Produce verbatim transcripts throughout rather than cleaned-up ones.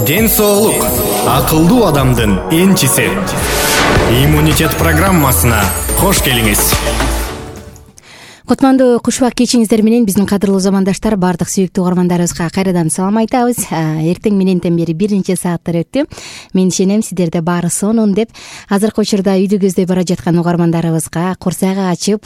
Ден соолук акылдуу адамдын энчиси. Иммунитет программасына кош келиңиз. Кутмандуу кушубак кечиңиздер менен биздин кадырлуу замандаштар, баардык сүйүктүү угармандарыбызга кайрадан салам айтабыз. Эртең мененден бери бир нече сааттар өттү. Мен ишенем сиздерде баары сонун деп. Азыркы учурда үйдү көздөй бара жаткан угармандарыбызга, курсагы ачып,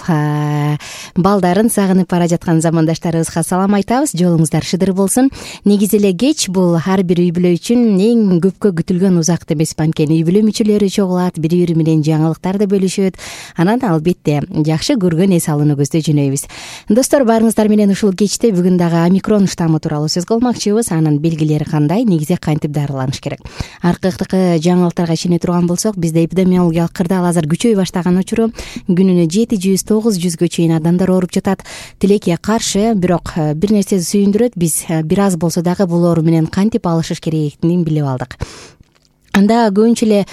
балдарын сагынып бара жаткан замандаштарыбызга салам айтабыз. Жолуңуздар шыдыр болсун. Негизи эле кеч бул ар бир үй бүлө үчүн эң көпкө күтүлгөн узакты эмес, анткени үй бүлө мүчөлөрү чогулат, бири-бири менен жаңылыктарды бөлүшөт. Анан албетте жакшы көргөн эс алууну көздөй жөнөйбүз. Достор, баарыңыздар менен ушул кечте бүгүн дагы омикрон штаммы тууралуу сөз кылмакчыбыз. Анын белгилери кандай, негизи кантип дарыланыш керек? Аркы жаңылыктарга ишене турган болсок, бизде эпидемиологиялык кырдаал азыр күчөй баштаган учуру, күнүнө жети жүз тогуз жүзгө чейин адамдар ооруп жатат. Тилекке каршы, бирок бир нерсе сүйүндүрөт, биз бир аз болсо дагы бул оору менен кантип алышыш керектигин билип алдык. Анда көбүнчө эле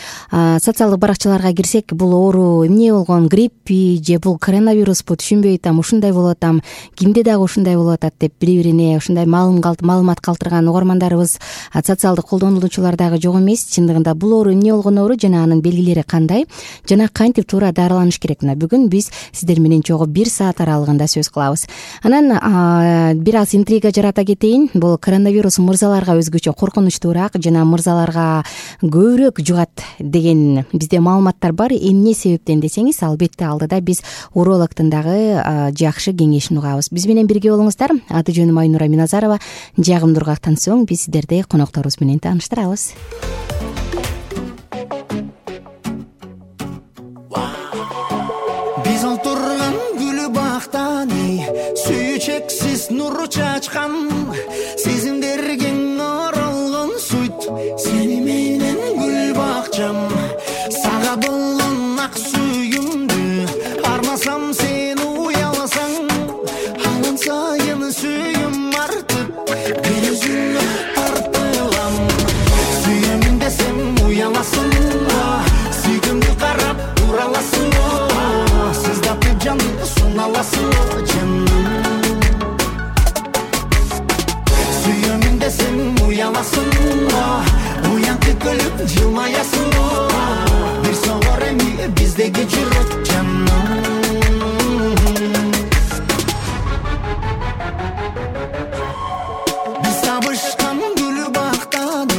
социалдык баракчаларга кирсек, бул оору эмне болгон, гриппи же бул коронавируспу түшүнбөй атам, ушундай болуп атам, кимде дагы ушундай болуп атат деп бири-бирине ушундай маалымат калтырган угармандарыбыз, социалдык колдонуучулар дагы жок эмес. Чындыгында бул оору эмне болгон оору жана анын белгилери кандай жана кантип туура дарыланыш керек? Мына бүгүн биз сиздер менен чогуу бир саат аралыгында сөз кылабыз. Анан бир аз интрига жарата кетейин. Бул коронавирус мырзаларга өзгөчө коркунучтуураак жана мырзаларга көбүрөөк жугат деген бизде маалыматтар бар. Эмне себептен десеңиз, албетте алдыда биз урологтун дагы жакшы кеңешин угабыз. Биз менен бирге болуңуздар. Аты жөнүм Айнура Миназарова. Жагымдуу ургактан соң биз сиздерди конокторубуз менен тааныштырабыз. Биз олтурган гүлү бактан сүйүү чексиз нур чачкан, сезимдерге оролгон суйт сени менен гүл бакчам. Сага болгон ак сүйүмдү армасам, сен уяласаң, анан сайын сүйүм артып бир өзүңө тартылам. Сүйөмүн десем уяласың, сүйгүмдү карап ураласың, сыздатып жанды суналасың жаным. Сүйөмүн десем уяласың, уянкы көлүп жылмаясың, бир согор эми биздеги жүрөк жаным. Биз табышкан гүл бактан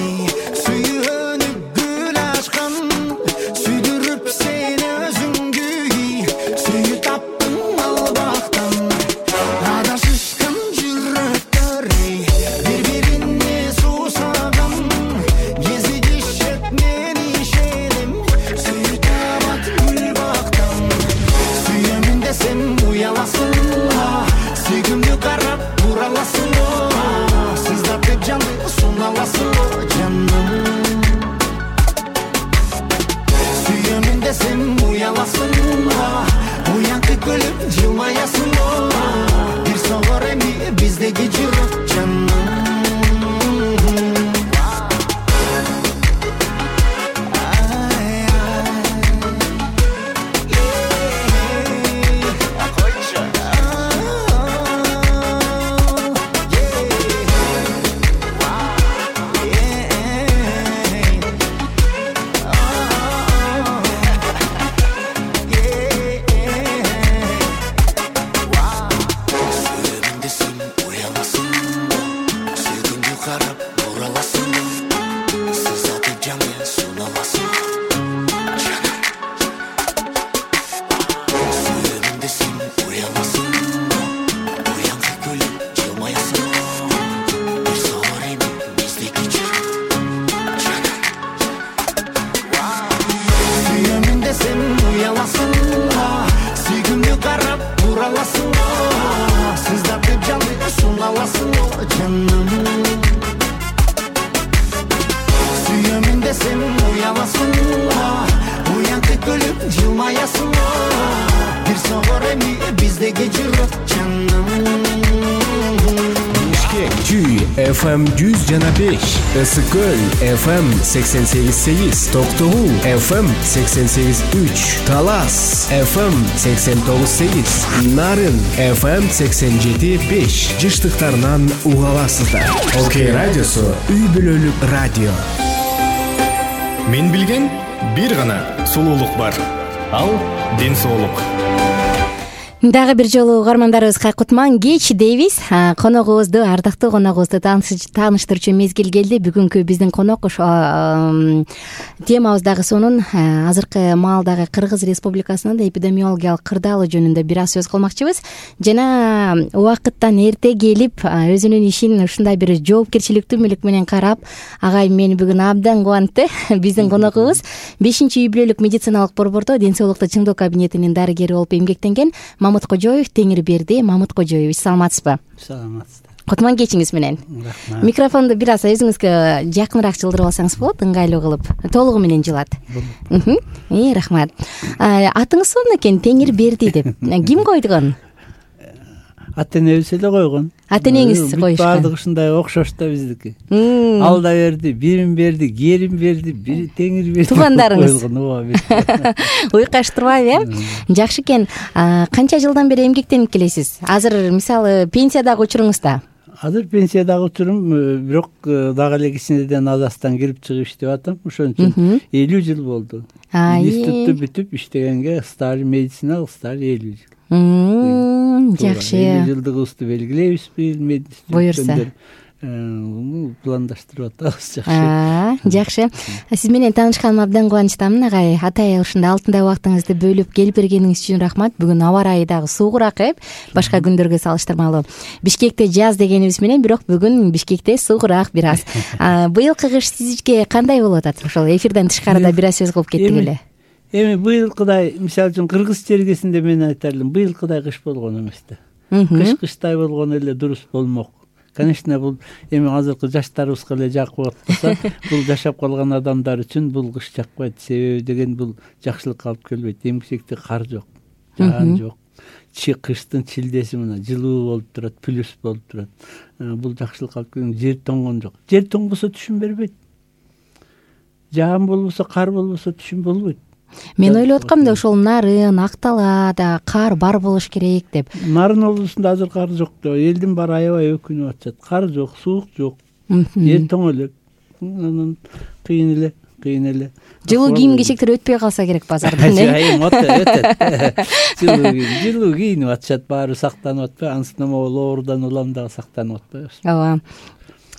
сүйөнүп гүл ачкан, сүйдүрүп сени өзүңгү сүйүп таптың ал бактан. Адашышкан жүрөктөр бири-бирине суусаган, кезигишет мен ишенем, сүйүп табат гүл бактан. Сүйөмүн десем уяласың, сүйгүмдү карап ураласың, сыздатып жанды суналасың жаным. Сүйөмүн десем уяласың, уянкы көлүп жылмаясың, бир согор эми биздеги жүрөк жаным. эф эм жүз жана беш, ысык көл эф эм сексен сегиз сегиз, Токтогул эф эм сексен сегиз үч, Талас эф эм сексен тогуз сегиз, Нарын эф эм сексен жети беш жыштыктарынан уга аласыздар. Окей радиосу үй бүлөлүк радио. Мен билген бир гана сулуулук бар. Ал ден соолук. Дагы бир жолу угармандарыбызга кутман кеч дейбиз. Коногубузду, ардактуу коногубузду тааныштырчу мезгил келди. Бүгүнкү биздин конок ошо темабыз дагы сонун азыркы маалдагы Кыргыз Республикасынын эпидемиологиялык кырдаалы жөнүндө бир аз сөз кылмакчыбыз. Жана убакыттан эрте келип, өзүнүн ишин ушундай бир жоопкерчиликтүү мүлүк менен карап, агайым мени бүгүн абдан кубантты. Биздин коногубуз бешинчи үй бүлөлүк медициналык борбордо ден соолукту чыңдоо кабинетинин дарыгери болуп эмгектенген Мамут Кожоев, Теңирберди Мамут Кожоевич, саламатсызбы? Саламатсыздар. Кутман кечиңиз менен. Рахмат. Микрофонду бир аз өзүңүзгө жакыныраак жылдырып алсаңыз болот, ыңгайлуу кылып. Толугу менен жылат. Э, рахмат. Атыңыз сонун экен, Теңирберди деп. Ким койгон? Ата-энебиз эле койгон. Ата-энеңиз коюшкан. Баардыгы ушундай окшош да биздики. Ал да берди, бирин берди, керим берди, бир Теңирберди. Туугандарыңыз. Уйкаштырбайбы, э? Жакшы экен. Канча жылдан бери эмгектенип келесиз? Азыр мисалы пенсиядагы учуруңузда? Азыр пенсиядагы учурум, бирок дагы эле кичинеден Азастан кирип чыгып иштеп атам. Ошон үчүн элүү жыл болду. Институтту бүтүп иштегенге стаж, медициналык стаж элүү жыл. Жакшы. элүү жылдыгыбызды белгилейбиз бир буюрса. Пландаштырып атабыз. Жакшы. Жакшы. Сиз менен таанышканыма абдан кубанычтамын, агай. Атай ушундай алтындай убактыңызды бөлүп келип бергениңиз үчүн рахмат. Бүгүн аба ырайы дагы суугураак, э? Башка күндөргө салыштырмалуу. Бишкекте жаз дегенибиз менен, бирок бүгүн Бишкекте суугураак бир аз. Быйылкы кыш сизге кандай болуп атат? Ошол эфирден тышкарыда бир аз сөз кылып кеттик эле. Эми быйылкыдай, мисалы үчүн Кыргыз чергесинде мен айтар элем, быйылкыдай кыш болгон эмес да. Кыш кыштай болгон эле дурус болмок. Конечно, бул эми азыркы жаштарыбызга эле жакып атпаса, бул жашап калган адамдар үчүн бул кыш жакпайт. Себеби деген бул жакшылыкка алып келбейт. Эмгичекте кар жок, жаан жок. Чи кыштын чилдеси мына жылуу болуп турат, плюс болуп турат. Бул жакшылыкка алып келген, жер тоңгон жок. Жер тоңбосо түшүм бербейт. Жаан болбосо, кар болбосо түшүм болбойт. Мен ойлоп аткам да ошол Нарын, Акталада кар бар болуш керек деп. Нарын облусунда азыр кар жок да, элдин баары аябай өкүнүп атышат. Кар жок, суук жок. Жер тоң элек. Анан кыйын эле, кыйын эле. Жылуу кийим кечектер өтпөй калса керек базардан. Айым өтөт. Жылуу кийим, жылуу кийинип атышат, баары сактанып атпайбы? Ансын ооруудан улам дагы сактанып атпайбыз. Ооба.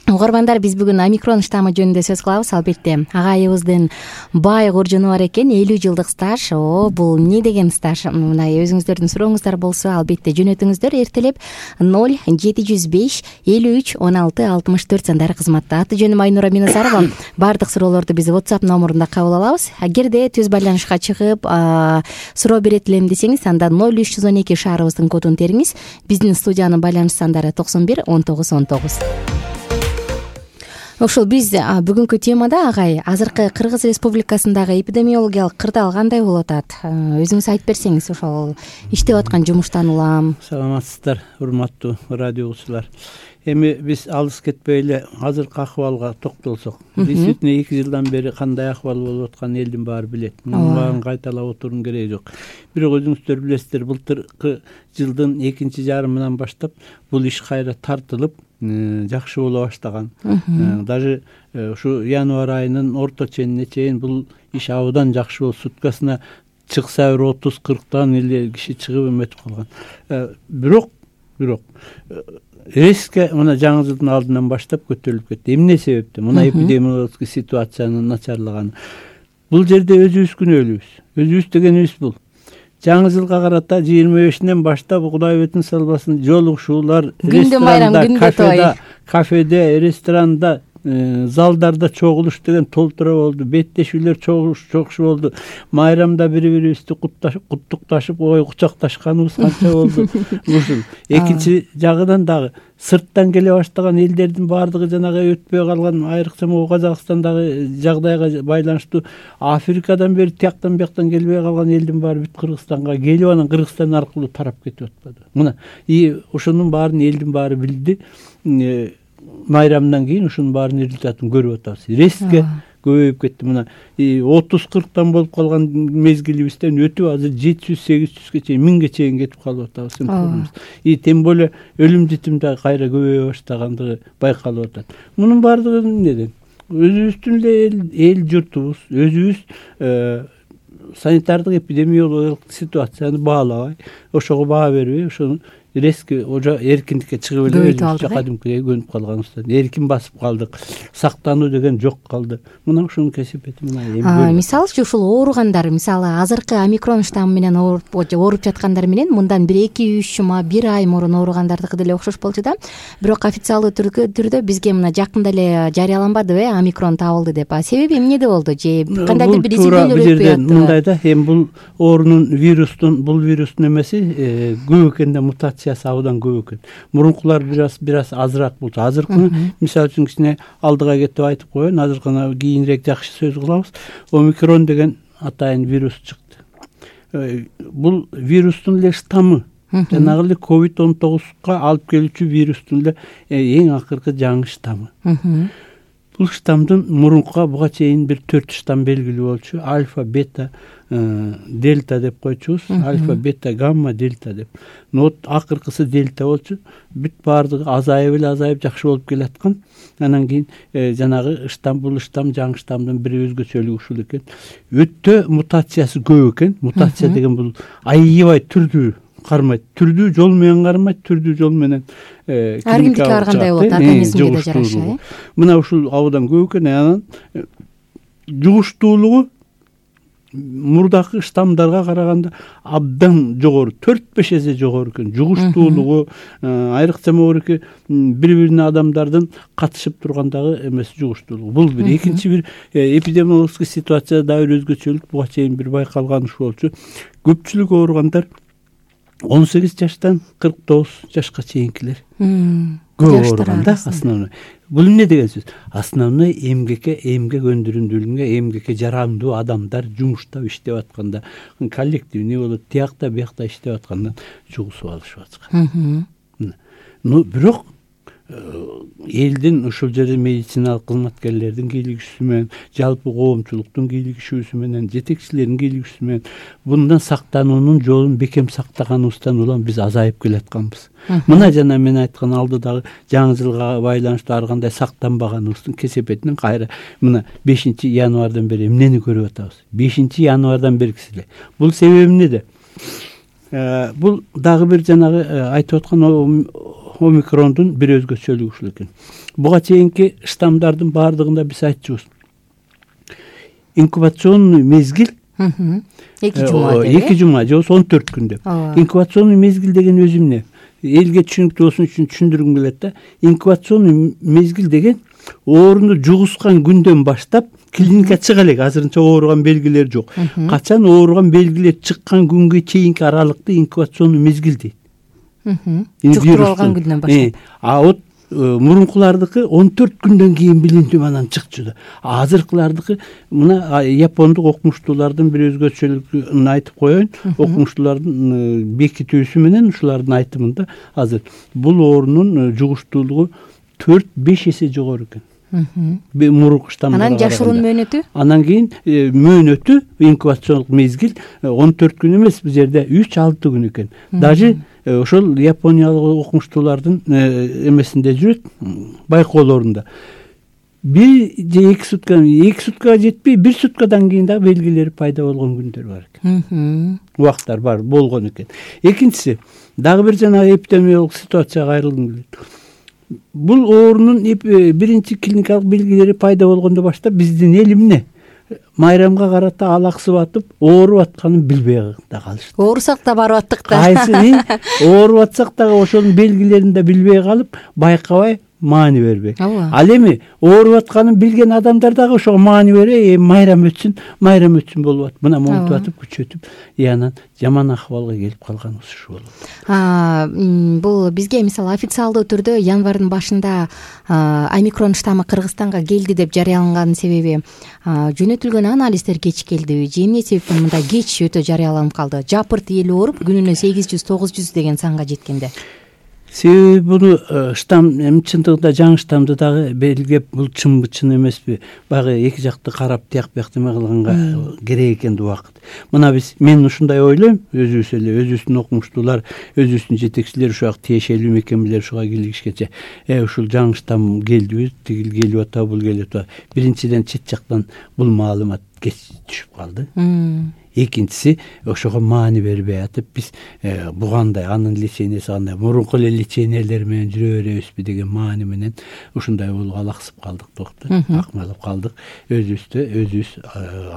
Угармандар, биз бүгүн омикрон штаммы жөнүндө сөз кылабыз. Албетте агайыбыздын бай куржуну бар экен, элүү жылдык стаж. О, бул эмне деген стаж? Мындай өзүңүздөрдүн сурооңуздар болсо, албетте жөнөтүңүздөр. Эртелеп ноль жети жүз беш элүү үч он алты алтымыш төрт сандары кызматта. Аты жөнүм Айнура Миназарова. Бардык суроолорду биз WhatsApp номурунда кабыл алабыз. Эгерде түз байланышка чыгып суроо берет элем десеңиз, анда ноль үч жүз он эки шаарыбыздын кодун териңиз. Биздин студиянын байланыш сандары токсон бир он тогуз он тогуз. Ошол биз бүгүнкү темада, агай, азыркы Кыргыз Республикасындагы эпидемиологиялык кырдаал кандай болуп атат? Өзүңүз айтып берсеңиз, ошол иштеп аткан жумуштан улам. Саламатсыздар, урматтуу радио угуучулар. Эми биз алыс кетпей эле азыркы акыбалга токтолсок, действительно эки жылдан бери кандай акыбал болуп атканын элдин баары билет. Мунун баарын кайталап отуруунун кереги жок. Бирок өзүңүздөр билесиздер, былтыркы жылдын экинчи жарымынан баштап бул иш кайра тартылып, жакшы боло баштаган. Даже ушу январь айынын орто ченине чейин бул иш абдан жакшы болуп, суткасына чыкса бир отуз кырктан эле киши чыгып эметип калган. Бирок, бирок резко мына жаңы жылдын алдынан баштап көтөрүлүп кетти. Эмне себептен? Мына эпидемиологиялык ситуациянын начарлаганы. Бул жерде өзүбүз күнөөлүүбүз. Өзүбүз дегенибиз бул. Жаңы жылга карата жыйырма бешинен баштап Кудай бетин салбасын жолугушуулар ресторанда, кафеде, кафеде, ресторанда, залдарда чогулуш деген толтура болду. Беттешүүлөр чогушу болду. Майрамда бири-бирибизди куттукташып, ой кучакташканыбыз канча болду. Ушул. Экинчи жагынан дагы сырттан келе баштаган элдердин баардыгы жанагы өтпөй калган, айрыкча могу Казакстандагы жагдайга байланыштуу Африкадан бери тияктан бияктан келбей калган элдин баары бүт Кыргызстанга келип, анан Кыргызстан аркылуу тарап кетип атпады. Мына, и ошонун баарын элдин баары билди. майрамдан кийин ушунун баарынын результатын көрүп атабыз. Резко көбөйүп кетти. Мына отуз кырктан болуп калган мезгилибизден өтүп азыр жети жүз сегиз жүзгө чейин миңге чейин кетип калып атабыз. И тем более өлүм житим да кайра көбөйө баштагандыгы байкалып атат. Мунун баардыгы эмнеден? Өзүбүздүн эле эл журтубуз, өзүбүз санитардык эпидемиологиялык ситуацияны баалабай, ошого баа бербей, ошону резко уже эркиндикке чыгып эле өзүбүзчө кадимкидей көнүп калганыбыздан эркин басып калдык. Сактануу деген жок калды. Мына ушунун кесепети мына эми. Мисалы үчүн ушул ооругандар, мисалы азыркы омикрон штаммы менен ооруп ооруп жаткандар менен мындан бир эки үч жума, бир ай мурун ооругандардыкы деле окшош болчу да. Бирок официалдуу түрдө бизге мына жакында эле жарыяланбадыбы, э, омикрон табылды деп. А себеби эмнеде болду? Же кандайдыр бир изилдөөлөр өтпөй аттыбы? Мындай да, эми бул оорунун вирустун, бул вирустун эмеси көп экен да, мутация абдан көп экен. Мурункулар бир аз бир аз азыраак болчу. Азыркыны мисалы үчүн кичине алдыга кетип айтып коеюн, азыркыны кийинирээк жакшы сөз кылабыз. Омикрон деген атайын вирус чыкты. Бул вирустун эле штаммы, жанагы эле ковид он тогузга алып келүүчү вирустун эле эң акыркы жаңы штаммы. Бул штамдын мурункуга буга чейин бир төрт штамм белгилүү болчу. Альфа, бета, дельта деп койчубуз. Альфа, бета, гамма, дельта деп. Но вот акыркысы дельта болчу. Бүт баардыгы азайып эле азайып жакшы болуп келаткан. Анан кийин жанагы штамм, бул штамм жаңы штамдын бир өзгөчөлүгү ушул экен. Өтө мутациясы көп экен. Мутация деген бул айыйбай түрдүү кармайт. Түрдүү жол менен кармайт, түрдүү жол менен ар кимдики ар кандай болот, организмге да жараша. Мына ушул абдан көп экен. Анан жугуштуулугу мурдакы штаммдарга караганда абдан жогору, төрт беш эсе жогору экен. Жугуштуулугу айрыкча могуруки бири-бирине адамдардын катышып тургандагы эмеси жугуштуулугу. Бул бир. Экинчи бир эпидемиологический ситуация да бир өзгөчөлүк буга чейин бир байкалган ушу болчу. Көпчүлүк ооругандар он сегиз жаштан кырк тогуз жашка чейинкилер. Көп ооруган да основной. Бул эмне деген сөз? Основной эмгекке, эмгек өндүрүмдүүлүгүнгө, эмгекке жарамдуу адамдар жумуштап иштеп атканда, коллективный болот, тиякта биякта иштеп аткандан жугусуп алышып аткан. Ну, бирок элдин ушул жерде медициналык кызматкерлердин кийлигишүүсү менен, жалпы коомчулуктун кийлигишүүсү менен, жетекчилердин кийлигишүүсү менен bundan сактануунун жолун бекем сактаганыбыздан улам биз азайып келатканбыз. Мына жана мен айткан алдыдагы жаңы жылга байланыштуу ар кандай сактанбаганыбыздын кесепетинен кайра мына бешинчи январдан бери эмнени көрүп атабыз? бешинчи январдан бергиси эле. Бул себеби эмнеде? Бул дагы бир жанагы айтып аткан омикрондун бир өзгөчөлүгү ушул экен. Буга чейинки штаммдардын баардыгында биз айтчубуз. Инкубационный мезгил эки жума деп. эки жума же он төрт күн деп. Инкубационный мезгил деген өзү эмне? Элге түшүнүктүү болсун үчүн түшүндүргүм келет да. Инкубационный мезгил деген ооруну жугускан күндөн баштап клиникага чыга элек. Азырынча ооруган белгилер жок. Качан ооруган белгилер чыккан күнгө чейинки аралыкты инкубационный мезгил дейт. Жуктуруп алган күндөн баштап. А вот мурункулардыкы он төрт күндөн кийин билиндүү анан чыкчу да. Азыркылардыкы мына япондук окумуштуулардын бир өзгөчөлүгүн айтып коеюн. Окумуштуулардын бекитүүсү менен ушулардын айтымында азыр бул оорунун жугуштуулугу төрт беш эсе жогору экен. Мурунку штаммдарга. Анан жашыруун мөөнөтү? Анан кийин мөөнөтү инкубациондук мезгил он төрт күн эмес, бул жерде үч алты күн экен. Даже ошол япониялык окумуштуулардын эмесинде жүрөт, байкоолорунда. Бир же эки сутка, эки суткага жетпей, бир суткадан кийин да белгилери пайда болгон күндөр бар экен. Убактар бар, болгон экен. Экинчиси, дагы бир жанагы эпидемиологик ситуацияга кайрылгым келет. Бул оорунун биринчи клиникалык белгилери пайда болгондо баштап биздин эл эмне? Майрамга карата алаксып атып, ооруп атканын билбей да калышты. Оорусак да барып аттык да. Кайсы ооруп атсак дагы ошонун белгилерин да билбей калып, байкабай маани бербей. Ал эми ооруп атканын билген адамдар дагы ошого маани бере, майрам өтсүн, майрам өтсүн болуп атып, мына монтуп атып, күчөтүп, анан жаман акыбалга келип калганыбыз ушу болот. Бул бизге мисалы официалдуу түрдө январдын башында омикрон штаммы Кыргызстанга келди деп жарыяланганын себеби жөнөтүлгөн анализдер кеч келдиби? Же эмне себептен мындай кеч өтө жарыяланып калды? Жапырт эл ооруп күнүнө сегиз жүз тогуз жүз деген санга жеткенде. себеби буну штамм эми чындыгында жаңы штаммды дагы белгилеп, бул чынбы чын эмеспи, баягы эки жакты карап тияк бияк неме кылганга керек экенди убакыт. Мына биз мен ушундай ойлойм, өзүбүз эле өзүбүздүн окумуштуулар, өзүбүздүн жетекчилер ушуга тиешелүү мекемелер ушуга киргишкече э ушул жаңы штамм келдиби, тигил келип атабы, бул келип атабы. Биринчиден чет жактан бул маалымат кеч түшүп калды. Экинчиси ошого маани бербей атып биз бугандай анын леченияси кандай, мурунку эле лечениялер менен жүрө беребизби деген маани менен ушундай болуп алаксып калдык, доктор. Акмалып калдык. Өзүбүздү өзүбүз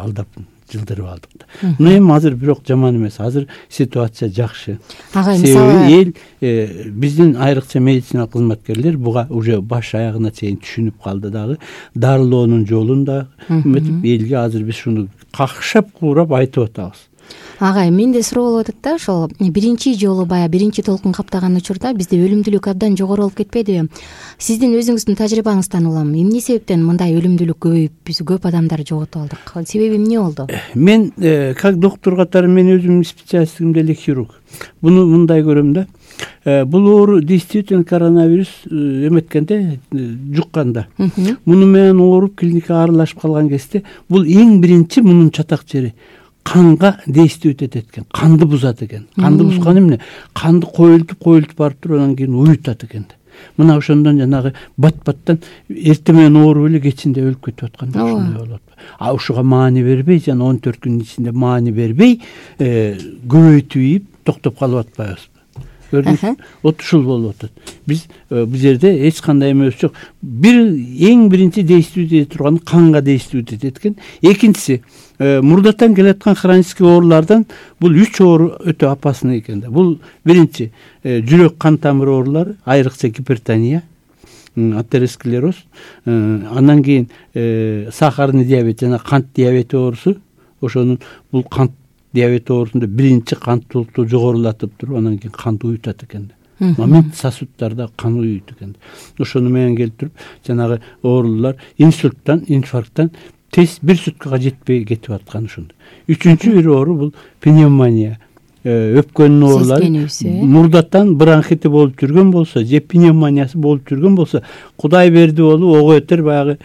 алдап жылдырып алдык да. Мына эми азыр бирок жаман эмес. Азыр ситуация жакшы. Ага, себеби эл биздин айрыкча медициналык кызматкерлер буга уже баш аягына чейин түшүнүп калды дагы. Дарылоонун жолун да эметип элге азыр биз шуну какшап куурап айтып атабыз. Агай, менде суроо болуп атат да, ошол биринчи жолу баягы биринчи толкун каптаган учурда бизде өлүмдүүлүк абдан жогору болуп кетпедиби? Сиздин өзүңүздүн тажрыйбаңыздан улам эмне себептен мындай өлүмдүүлүк көбөйүп, биз көп адамдар жоготуп алдык? Себеби эмне болду? Мен как доктор катары мен өзүмдүн специалистигим деле хирург. Буну мындай көрөм да. Бул оору действительно коронавирус эметкенде, жукканда. Муну менен ооруп клиникага аралашып калган кезде бул эң биринчи мунун чатак жери канга действует этет экен, канды бузат экен. Канды бузган эмне? Канды коюлтуп коюлтуп барып туруп анан кийин уютат экен. Мына ошондон жанагы бат-баттан эртең менен ооруп эле кечинде өлүп кетип аткан ушундай болот. А ушуга маани бербей, жана он төрт күнүн ичинде маани бербей, көбөйтүп токтоп калып атпайбызбы? Көрдүңүзбү? Вот ушул болуп атат. Биз бул жерде эч кандай эмебиз жок. Бир эң биринчи действует эте турган канга действует этет экен. Экинчиси, мурдатан келаткан хронический оорулардан бул үч оору өтө опасный экен да. Бул биринчи жүрөк кан тамыр оорулары, айрыкча гипертония, атеросклероз, андан кийин сахарный диабет жана кант диабети оорусу. Ошонун бул кант диабет оорусунда биринчи канттуулукту жогорулатып туруп, анан кийин канды уютат экен. Момент сосудтарда кан уйут экен. Ошону менен келип туруп, жанагы оорулар инсульттан, инфаркттан тез бир суткага жетпей кетип аткан ошондо. Үчүнчү бир оору бул пневмония. Өпкөнүн оорулары мурдатан бронхити болуп жүргөн болсо, же пневмониясы болуп жүргөн болсо, Кудай берди болуп ого өтөр баягы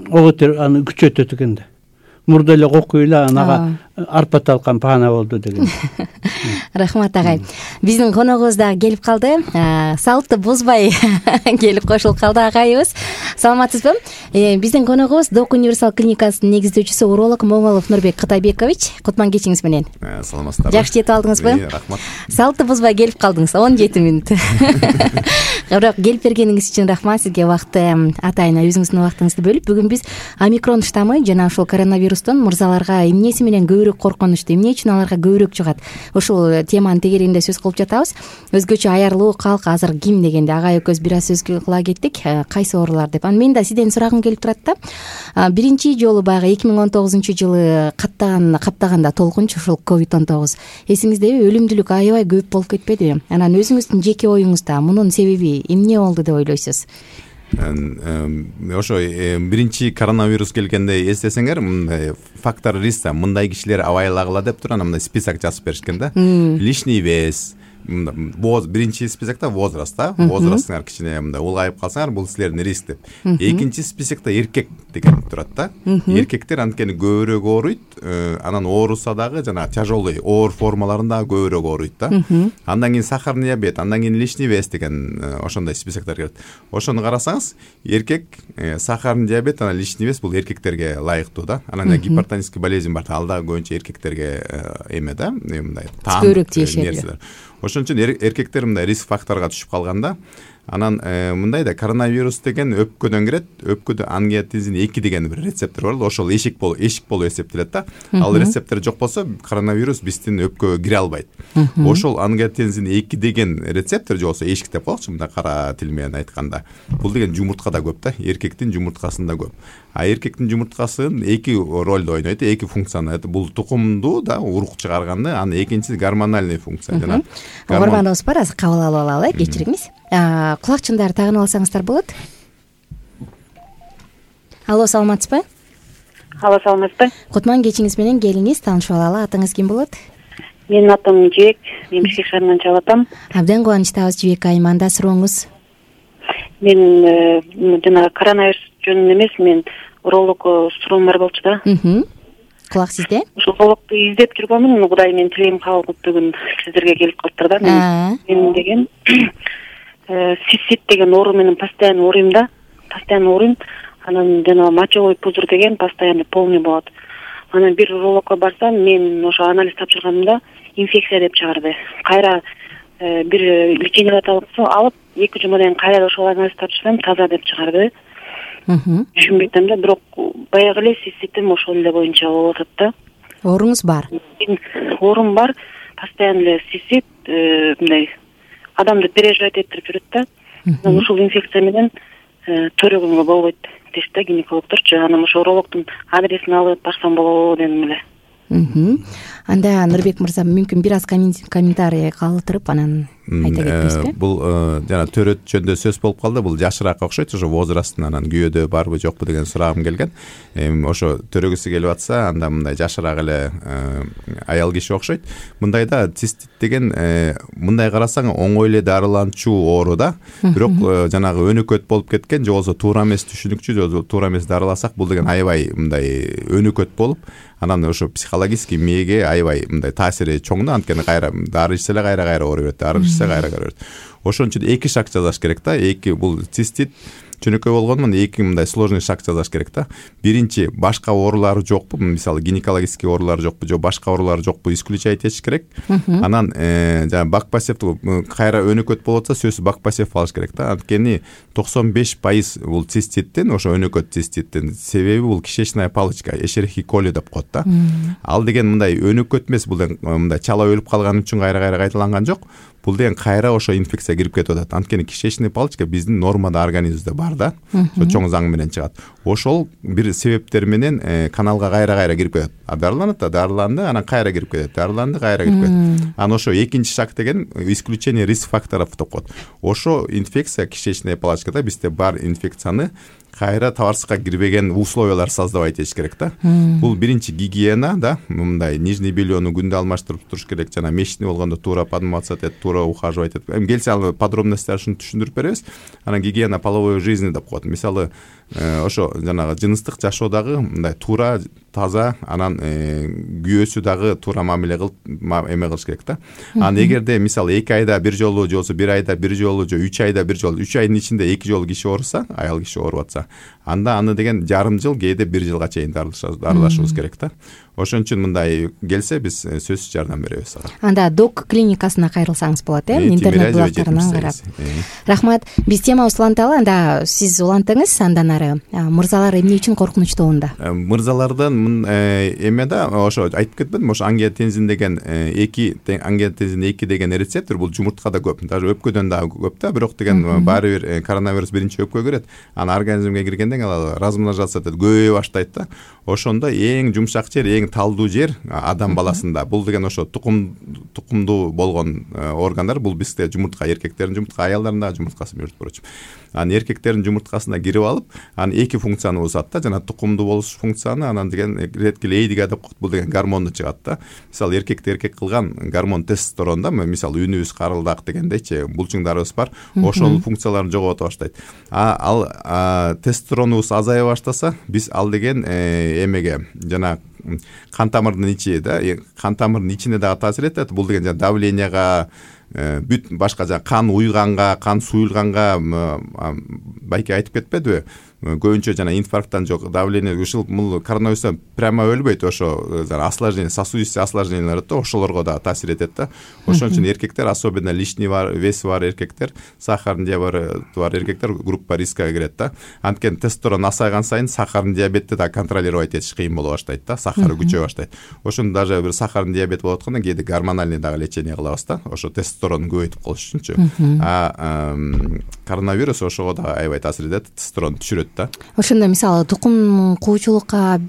ого өтөр аны күчөтөт экен да. Мурда эле кокуй эле анага арпа талкан паана болду деген. Рахмат агай. Биздин коногубуз дагы келип калды. Салтты бузбай келип кошулуп калды агайыбыз. Саламатсызбы? Биздин коногубуз Док универсал клиникасынын негиздөөчүсү уролог Момолов Нурбек Кытайбекович. Кутман кечиңиз менен. Саламатсыздарбы? Жакшы жетип алдыңызбы? Рахмат. Салтты бузбай келип калдыңыз. он жети мүнөт. Бирок келип бергениңиз үчүн рахмат сизге. Вакытты атайын өзүңүздүн убактыңызды бөлүп, бүгүн биз омикрон штаммы жана ошол коронавирустун мырзаларга эмнеси менен көбүрөөк коркунучту, эмне үчүн аларга көбүрөөк жугат, ушул теманын тегерегинде сөз кылып жатабыз. Өзгөчө аярлуу калк азыр ким дегенде агай экөөбүз бир аз сөз кыла кеттик, кайсы оорулар деп. Анан мен да сизден сурагым келип турат да. Биринчи жолу баягы эки миң он тогузунчу жылы каттаган каптаганда толкунчу ушул ковид он тогуз эсиңиздеби, өлүмдүүлүк аябай көп болуп кетпедиби? Анан өзүңүздүн жеке оюңузда мунун себеби эмне болду деп ойлойсуз? Ошо биринчи коронавирус келгенде эстесеңер, мындай фактор риска, мындай кишилер абайлагыла деп туруп, мындай список жазып беришкен да. Лишний вес, биринчи списокто возраст да, возрастыңар кичине мындай улгайып калсаңар, бул силердин риск деп. Экинчи списокто эркек деген турат да. Эркектер анткени көбүрөөк ооруйт, анан ооруса дагы жана тяжелый оор формаларында көбүрөөк ооруйт да. Андан кийин сахарный диабет, андан кийин лишний вес деген ошондой списоктор келет. Ошону карасаңыз, эркек сахарный диабет, анан лишний вес бул эркектерге ылайыктуу да. Анан гипертонический болезнь бар, ал дагы көбүнчө эркектерге эме да, мындай таан нерселер. Ошон үчүн эркектер мындай риск факторго түшүп калганда, анан мындай да коронавирус деген өпкөдөн кирет. Өпкөдө ангиотензин эки деген бир рецептор бар, ошол эшик болуп, эшик болуп эсептелет да. Ал рецептор жок болсо, коронавирус биздин өпкөгө кире албайт. Ошол ангиотензин эки деген рецептор же болсо эшик деп коелучу, мындай кара тил менен айтканда. Бул деген жумурткада көп да, эркектин жумурткасында көп. А эркектин жумурткасы эки ролду ойнойт, эки функцияны. Бул тукумду да урук чыгарганды, анын экинчиси гормоналный функция жана. Угарманыбыз бар, азыр кабыл алып алалы, кечириңиз. Кулакчындарды тагынып алсаңыздар болот. Алло, саламатсызбы? Алло, саламатсызбы? Кутман кечиңиз менен келиңиз, таанышып алалы. Атыңыз ким болот? Менин атым Жибек, мен Бишкек шаарынан чалып атам. Абдан кубанычтабыз Жибек айым. Анда сурооңуз? Мен жана коронавирус жөнүндө эмес, мен уролог суроом бар болчу да. Кулак сизде? Ошол урологду издеп жүргөмүн. Кудай менин тилегим кабыл кылып бүгүн сиздерге келип калыптыр да. Мен деген сисит деген оору менен постоянно ооруйм да. Постоянно ооруйм. Анан жана мочевой пузырь деген постоянно полный болот. Анан бир урологко барсам, мен ошо анализ тапшырганымда инфекция деп чыгарды. Кайра бир лечение алып, эки жумадан кайра ошол анализ тапшырсам, таза деп чыгарды. Түшүнбөй атам да, бирок баягы эле сиситим ошол эле боюнча болуп атат да. Ооруңуз бар? Оорум бар, постоянно эле сисит, мындай адамды переживать этирип жүрөт да. Анан ушул инфекция менен төрөгөнгө болбойт дейт да гинекологдорчу. Анан ошо урологдун адресин алып барсам болобу дедим эле. Анда Нурбек мырза, мүмкүн бир аз комментарий калтырып анан айта кетесизби? Бул жана төрөт жөнүндө сөз болуп калды. Бул жашыраак окшойт, ошо возрастын анан күйөөдө барбы жокпу деген сурагым келген. Эми ошо төрөгүсү келип атса, анда мындай жашыраак эле аял киши окшойт. Мындайда цистит деген мындай карасаң оңой эле дарыланчу оору да. Бирок жанагы өнөкөт болуп кеткен, же болбосо туура эмес түшүнүкчү, же туура эмес дарыласак, бул деген аябай мындай өнөкөт болуп, анан ошо психологический мээге аябай мындай таасири чоң да. Анткени кайра дары ичсе эле кайра кайра ооруй берет, дары ичсе кайра кайра берет. Ошон үчүн эки шаг жасаш керек да. Эки бул цистит чөнөкөй болгондон эки мындай сложный шаг жасаш керек да. Биринчи, башка оорулары жокпу, мисалы гинекологический оорулар жокпу, же башка оорулар жокпу, исключать этиш керек. Анан жана бакпасев кайра өнөкөт болуп атса, сөзсүз бакпасев алыш керек да. Анткени токсон беш пайыз бул циститтин, ошо өнөкөт циститтин себеби бул кишечная палочка, эшерихи коли деп коет да. Ал деген мындай өнөкөт эмес, бул мындай чала өлүп калган үчүн кайра кайра кайталанган жок. Бул деген кайра ошо инфекция кирип кетип атат. Анткени кишечный палочка биздин нормада организмде бар да. Ошо чоң заң менен чыгат. Ошол бир себептер менен каналга кайра кайра кирип кетет. А дарыланат да, дарыланды, анан кайра кирип кетет. Дарыланды, кайра кирип кетет. Анан ошо экинчи шаг деген исключение риск факторов деп коет. Ошо инфекция кишечная палочкада бизде бар инфекцияны кайра табарсызга кирбеген условиялар создавать этиш керек да. Бул биринчи гигиена да, мындай нижний бельену күндө алмаштырып туруш керек, жана месячный болгондо туура подмываться этет, туура ухаживать этет. Эми келсе ал подробностьтарын түшүндүрүп беребиз. Анан гигиена половой жизни деп коет. Мисалы, ошо жанагы жыныстык жашоодагы мындай туура, таза, анан күйөөсү дагы туура мамиле кылып эме кылыш керек да. Анан эгерде мисалы эки айда бир жолу, же болбосо бир айда бир жолу, же үч айда бир жолу, үч айдын ичинде эки жолу киши ооруса, аял киши ооруп атса, анда аны деген жарым жыл, кээде бир жылга чейин дарылашыбыз керек да. Ошон үчүн мындай келсе биз сөзсүз жардам беребиз ага. Анда док клиникасына кайрылсаңыз болот, э? Интернет булактарынан карап. Рахмат. Биз темабызды уланталы. Анда сиз улантыңыз, андан ары мырзалар эмне үчүн коркунучтуу анда? Мырзалардан эме да, ошо айтып кетпедим, ошо ангиотензин деген эки, ангиотензин эки деген рецептор бул жумурткада көп, даже өпкөдөн дагы көп да, бирок деген баары бир коронавирус биринчи өпкөгө кирет. Анан организмге киргенден ал размножаться этет, көбөйө баштайт да. Ошондо эң жумшак жер, эң талдуу жер адам баласында. Бул деген ошо тукум тукумдуу болгон органдар. Бул бизде жумуртка, эркектердин жумуртка, аялдардын дагы жумурткасы между прочим. Анан эркектердин жумурткасына кирип алып, анан эки функцияны бузат да, жана тукумдуу болуш функцияны, анан деген ретки-лейдига деп коет, бул деген гормонду чыгат да. Мисалы эркекти эркек кылган гормон тестостерон да, мисалы үнүбүз карылдак дегендейчи, булчуңдарыбыз бар, ошол функцияларын жогото баштайт. А ал тестостеронубуз азая баштаса, биз ал деген эмеге жана кан тамырдын ичи да, кан тамырдын ичине дагы таасир этет. Бул деген жана давленияга, бүт башка жана кан уйганга, кан суюлганга байке айтып кетпедиби? Көбүнчө жана инфаркттан жок, давление ушул коронавирустан прямо өлбөйт, ошо жана осложнение, сосудистый осложнениялар да, ошолорго да таасир этет да. Ошон үчүн эркектер, особенно лишний вес бар эркектер, сахардын диабети бар эркектер группа риска кирет да. Анткени тестостерон азайган сайын сахардын диабетти да контролировать этиш кыйын боло баштайт да, сахары күчөй баштайт. Ошондо даже бир сахардын диабети болуп атканда кээде гормональный дагы лечение кылабыз да, ошо тестостеронду көбөйтүп коюш үчүнчү. А коронавирус ошого да аябай таасир этет, тестостерон түшүрөт да. Ошондо мисалы тукум куучулукка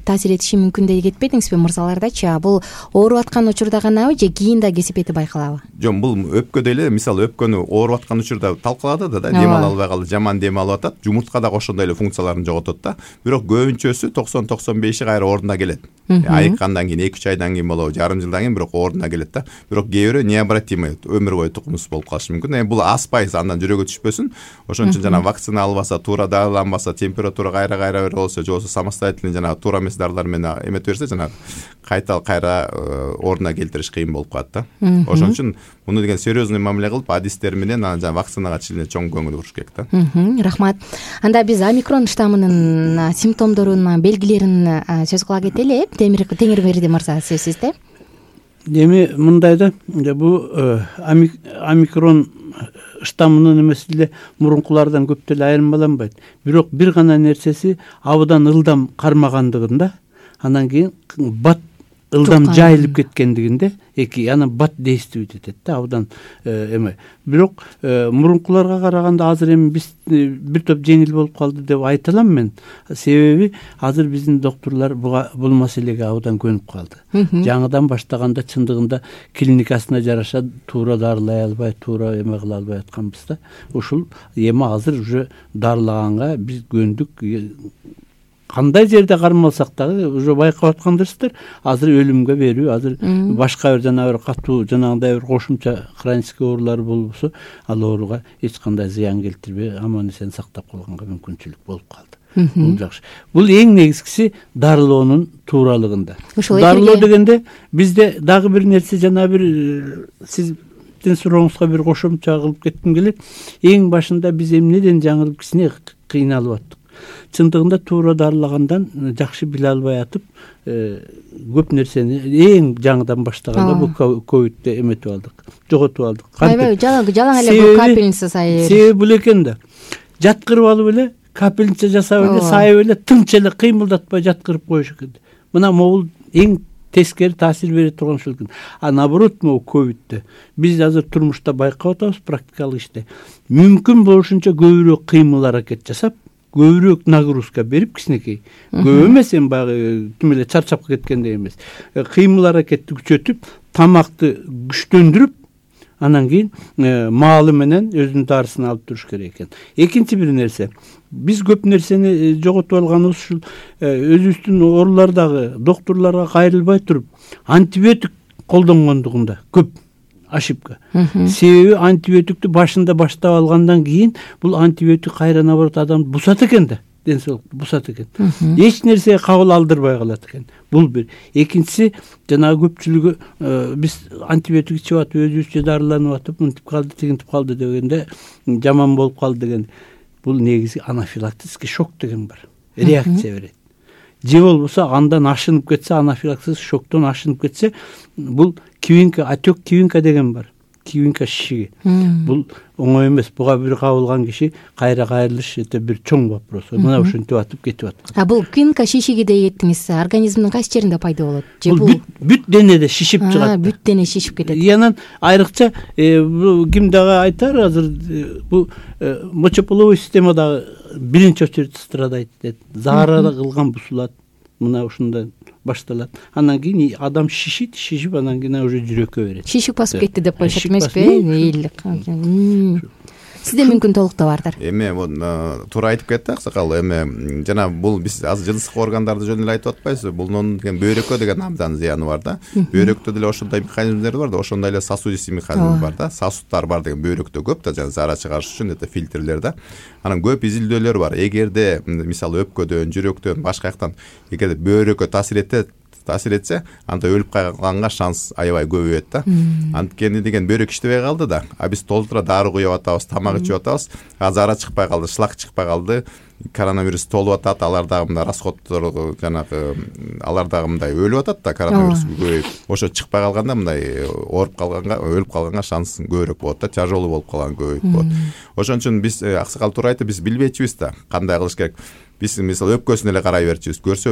таасир этиши мүмкүн деп кетпедиңизби мырзалардачы? Бул ооруп аткан учурда ганабы же кийин да кесепети байкалабы? Жок, бул өпкөдө эле, мисалы өпкөнү ооруп аткан учурда талкалады да, дем ала албай калды, жаман дем алып атат, жумуртка дагы ошондой эле функцияларын жоготот да. Бирок көбүнчөсү токсон токсон беши кайра ордуна келет. Айыккандан кийин эки үч айдан кийин болобу, жарым жылдан кийин бирок ордуна келет да. Бирок кээ бирөө необратимый өмүр бою тукумсуз болуп калышы мүмкүн. Эми бул аспайсыз, андан жүрөгү түшпөсүн. Ошон үчүн жана вакцина албаса, туура дарыланбаса, температура кайра кайра бир болсо, же болбосо самостоятельный жана туура эмес дарылар менен эмете берсе, жана кайта кайра ордуна келтириш кыйын болуп калат да. Ошон үчүн муну деген серьезный мамиле кылып, адистер менен анан жана вакцинага чилине чоң көңүл буруш керек да. Рахмат. Анда биз омикрон штаммынын симптомдорун, белгилерин сөз кыла кетели. Теңирберди мырза, сөз сизде. Эми мындай да, бул омикрон штаммынын эмеси эле мурункулардан көп деле айырмаланбайт. Бирок бир гана нерсеси абдан ылдам кармагандыгында, анан кийин бат ылдам жайылып кеткендигинде, эки анан бат действует этет да, абдан эме. Бирок мурункуларга караганда азыр эми биз бир топ жеңил болуп калды деп айта алам мен. Себеби азыр биздин доктурлар бул маселеге абдан көнүп калды. Жаңыдан баштаганда чындыгында клиникасына жараша туура дарылай албай, туура эме кыла албай атканбыз да. Ушул эми азыр уже дарылаганга биз көндүк. Кандай жерде кармалсак дагы уже байкап аткандырсыздар, азыр өлүмгө берүү, азыр башка бир жана бир катуу жанагындай бир кошумча хронический оорулар болбосо, ал ооруга эч кандай зыян келтирбей, аман эсен сактап калганга мүмкүнчүлүк болуп калды. Бул жакшы. Бул эң негизгиси дарылоонун тууралыгында. Дарылоо дегенде бизде дагы бир нерсе, жана бир сиздин сурооңузга бир кошумча кылып кетким келет. Эң башында биз эмнеден жаңылып кичине кыйналып аттык. Чындыгында туура дарылагандан жакшы биле албай атып, көп нерсени эң жаңыдан баштаганда бул ковидте эметип алдык, жоготуп алдык. Аябай жалаң эле бул капельница сайы. Себеби бул экен да. Жаткырып алып эле, капельница жасап эле, сайып эле, тынч эле кыймылдатпай жаткырып коюш экен. Мына могул эң тескери таасир бере турган ушул экен. А наоборот, могу ковидте биз азыр турмушта байкап атабыз, практикалык иште. Мүмкүн болушунча көбүрөөк кыймыл аракет жасап, көбүрөөк нагрузка берип, кичинекей, көп эмес, эми баягы тим эле чарчап кеткендей эмес, кыймыл аракетти күчөтүп, тамакты күчтөндүрүп, анан кийин маалы менен өзүнүн дарысын алып туруш керек экен. Экинчи бир нерсе, биз көп нерсени жоготуп алганыбыз ушул өзүбүздүн оорулардагы доктурларга кайрылбай туруп, антибиотик колдонгондугунда көп ошибка. Себеби антибиотикти башында баштап алгандан кийин бул антибиотик кайра наоборот адамды бусат экен да, ден соолукту бусат экен. Эч нерсеге кабыл алдырбай калат экен. Бул бир. Экинчиси, жанагы көпчүлүгү биз антибиотик ичип атып, өзүбүзчө дарыланып атып, мынтип калды, тигинтип калды дегенде, жаман болуп калды деген. Бул негизи анафилактический шок деген бар. Реакция берет. Же болбосо андан ашынып кетсе, анафилактический шоктон ашынып кетсе, бул кивинка, отек кивинка деген бар. Кивинка шишиги. Бул оңой эмес. Буга бир кабылган киши кайра кайрылыш эте бир чоң вопрос. Мына ушинтип атып кетип аткан. А бул кивинка шишиги deyеттиңиз, организмдин кайсы жеринде пайда болот? Же бул бүт денеде шишип чыгат. Бүт дене шишип кетет. Янан айрыкча ким дагы айтар, азыр бул мочеполовой системада биринчи очередь страдайт дейт. Заара кылган бузулат. Мына ушунда башталат. Анан кийин адам шишит, шишип анан кийин уже жүрөккө берет. Шишип басып кетти деп коюшат эмеспи? Сизде мүмкүн толуктоо-бардыр. Эми туура айтып кетти аксакал. Эми жана бул биз азыр жыныстык органдарды жөн эле айтып атпайбызбы? Булнун деген бөйрөккө деген абдан зыяны бар да. Бөйрөктө деле ошондой механизмдер бар да, ошондой эле сосудистый механизм бар да. Сосудтар бар деген бөйрөктө көп да, жана заара чыгарыш үчүн эте фильтрлер да. Анан көп изилдөөлөр бар. Эгерде мисалы өпкөдөн, жүрөктөн, башка жактан эгерде бөйрөккө таасир этет, таасир этсе, анда өлүп калганга шанс аябай көбөйөт да. Анткени деген бөйрөк иштебей калды да. А биз толтура дары куюп атабыз, тамак ичип атабыз, а заара чыкпай калды, шлак чыкпай калды, коронавирус толуп атат, алар дагы мындай расходдор жанагы алар дагы мындай өлүп атат да, коронавирус көбөйүп. Ошо чыкпай калганда мындай ооруп калганга, өлүп калганга шанс көбүрөөк болот да, тяжелый болуп калган көбөйүп болот. Ошон үчүн биз аксакал туура айтты, биз билбейчүбүз да кандай кылыш керек. Биз мисалы өпкөсүнө эле карай берчүбүз. Көрсө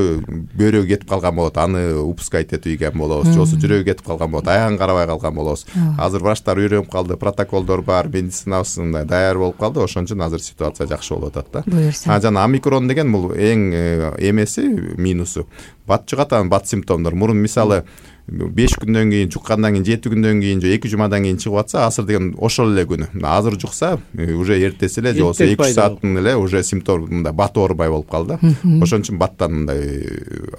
бөйрөгү кетип калган болот, аны упускать этип ийген болобуз. Жосу жүрөгү кетип калган болот, аягын карабай калган болобуз. Азыр врачтар үйрөнүп калды, протоколдор бар, медицинабыз мындай даяр болуп калды. Ошон үчүн азыр ситуация жакшы болуп атат да. А жана омикрон деген бул эң эмеси, минусу. Бат жугат, анын бат симптомдор. Мурун мисалы беш күндөн кийин, жуккандан кийин, жети күндөн кийин же эки жумадан кийин чыгып атса, азыр деген ошол эле күнү. Азыр жукса, уже эртеси эле же болбосо эки үч сааттын эле уже симптом мындай бат оорубай болуп калды. Ошон үчүн баттан мындай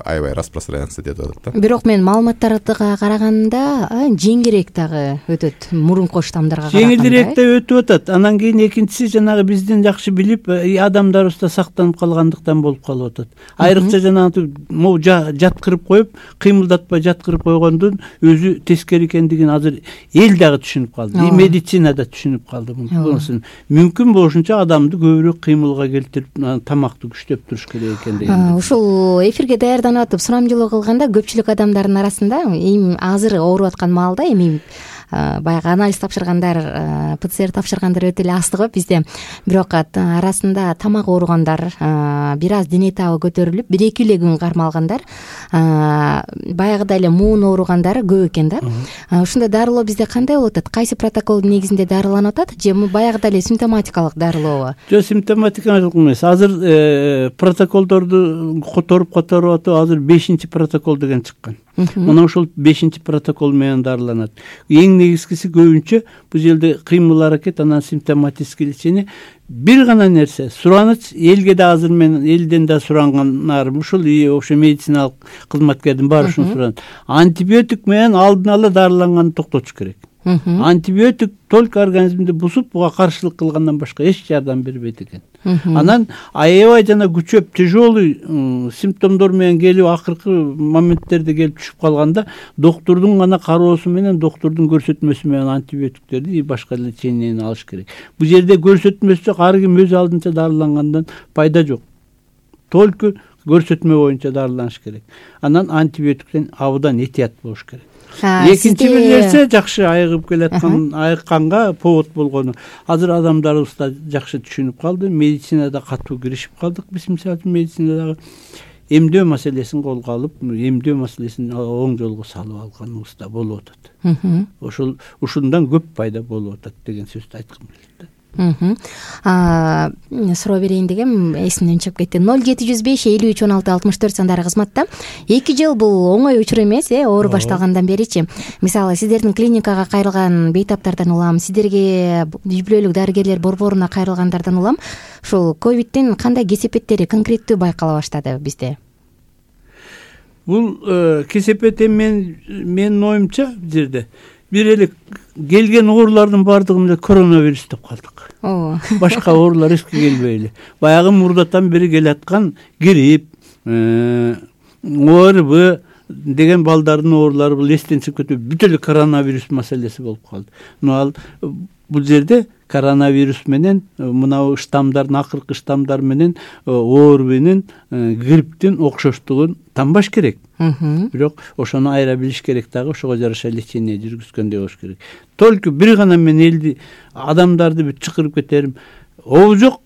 аябай распространяться этип атат да. Бирок мен маалыматтарга караганда жеңилирээк дагы өтөт, мурунку штамдарга караганда. Жеңилирээк да өтүп атат. Анан кийин экинчиси жанагы бизден жакшы билип, адамдарыбызда сактанып калгандыктан болуп калып атат. Айрыкча жанагы могу жаткырып коюп, кыймылдатпай жаткырып койгондун өзү тескери экендигин азыр эл дагы түшүнүп калды. И медицина да түшүнүп калды. Мунусун мүмкүн болушунча адамды көбүрөөк кыймылга келтирип, тамакты күчтөп туруш керек экендигин. Ушул эфирге даярданып атып сурамжылоо кылганда көпчүлүк адамдардын арасында эми азыр ооруп аткан маалда эми баягы анализ тапшыргандар, ПЦР тапшыргандар өтө эле аз го бизде. Бирок арасында тамак ооругандар, бир аз дене табы көтөрүлүп, бир эки эле күн кармалгандар, баягыдай эле муун ооругандар көп экен да. Ушундай дарылоо бизде кандай болуп атат? Кайсы протоколдун негизинде дарыланып атат же баягыдай эле симптоматикалык дарылообу? Жок, симптоматикалык эмес. Азыр протоколдорду которуп которуп атып, азыр бешинчи протокол деген чыккан. Мына ошол бешинчи протокол менен дарыланат. Эң негизгиси көбүнчө бул жерде кыймыл аракет, анан симптоматический лечение. Бир гана нерсе, сураныч элге да азыр мен элден да сурангандарым ушул, ошо медициналык кызматкердин баары ушуну суранат. Антибиотик менен алдын ала дарыланганды токтотуш керек. Антибиотик только организмди бузуп, буга каршылык кылгандан башка эч жардам бербейт экен. Анан аябай жана күчөп, тяжелый симптомдор менен келип, акыркы моменттерде келип түшүп калганда, доктурдун гана кароосу менен, доктурдун көрсөтмөсү менен антибиотиктерди и башка лечениени алыш керек. Бул жерде көрсөтмөсү жок, ар ким өз алдынча дарылангандан пайда жок. Только көрсөтмө боюнча дарыланыш керек. Анан антибиотиктен абдан этият болуш керек. Экинчи бир нерсе, жакшы айыгып келаткан, айыкканга повод болгону. Азыр адамдарыбыз да жакшы түшүнүп калды, медицинада катуу киришип калдык. Биз мисалы медицинадагы эмдөө маселесин колго алып, эмдөө маселесин оң жолго салып алганыбыз да болуп атат. Ошол ушундан көп пайда болуп атат деген сөздү айткым келет. Суроо берейин дегем, эсимден чыгып кетти. ноль жети жүз беш элүү үч он алты алтымыш төрт сандары кызматта. эки жыл бул оңой учур эмес, э, оору башталгандан беричи. Мисалы, сиздердин клиникага кайрылган бейтаптардан улам, сиздерге үй бүлөлүк дарыгерлер борборуна кайрылгандардан улам, ушул ковидтин кандай кесепеттери конкреттүү байкала баштады бизде? Бул кесепет мен менин оюмча бул жерде бир эле келген оорулардын баардыгын эле коронавирус деп калдык. Башка оорулар эчке келбей эле. Баягы мурдатан бери келаткан грипп, ОРВ деген балдардын оорулары бул эстен чыгып кетип, бүт эле коронавирус маселеси болуп калды. Но ал бул жерде коронавирус менен мына штамдардын, акыркы штамдар менен ОРВнин, грипптин окшоштугун танбаш керек. Бирок ошону айыра билиш керек дагы, ошого жараша лечение жүргүзгөндөй болуш керек. Только бир гана мен элди, адамдарды бүт чакырып кетерим. Обу жок,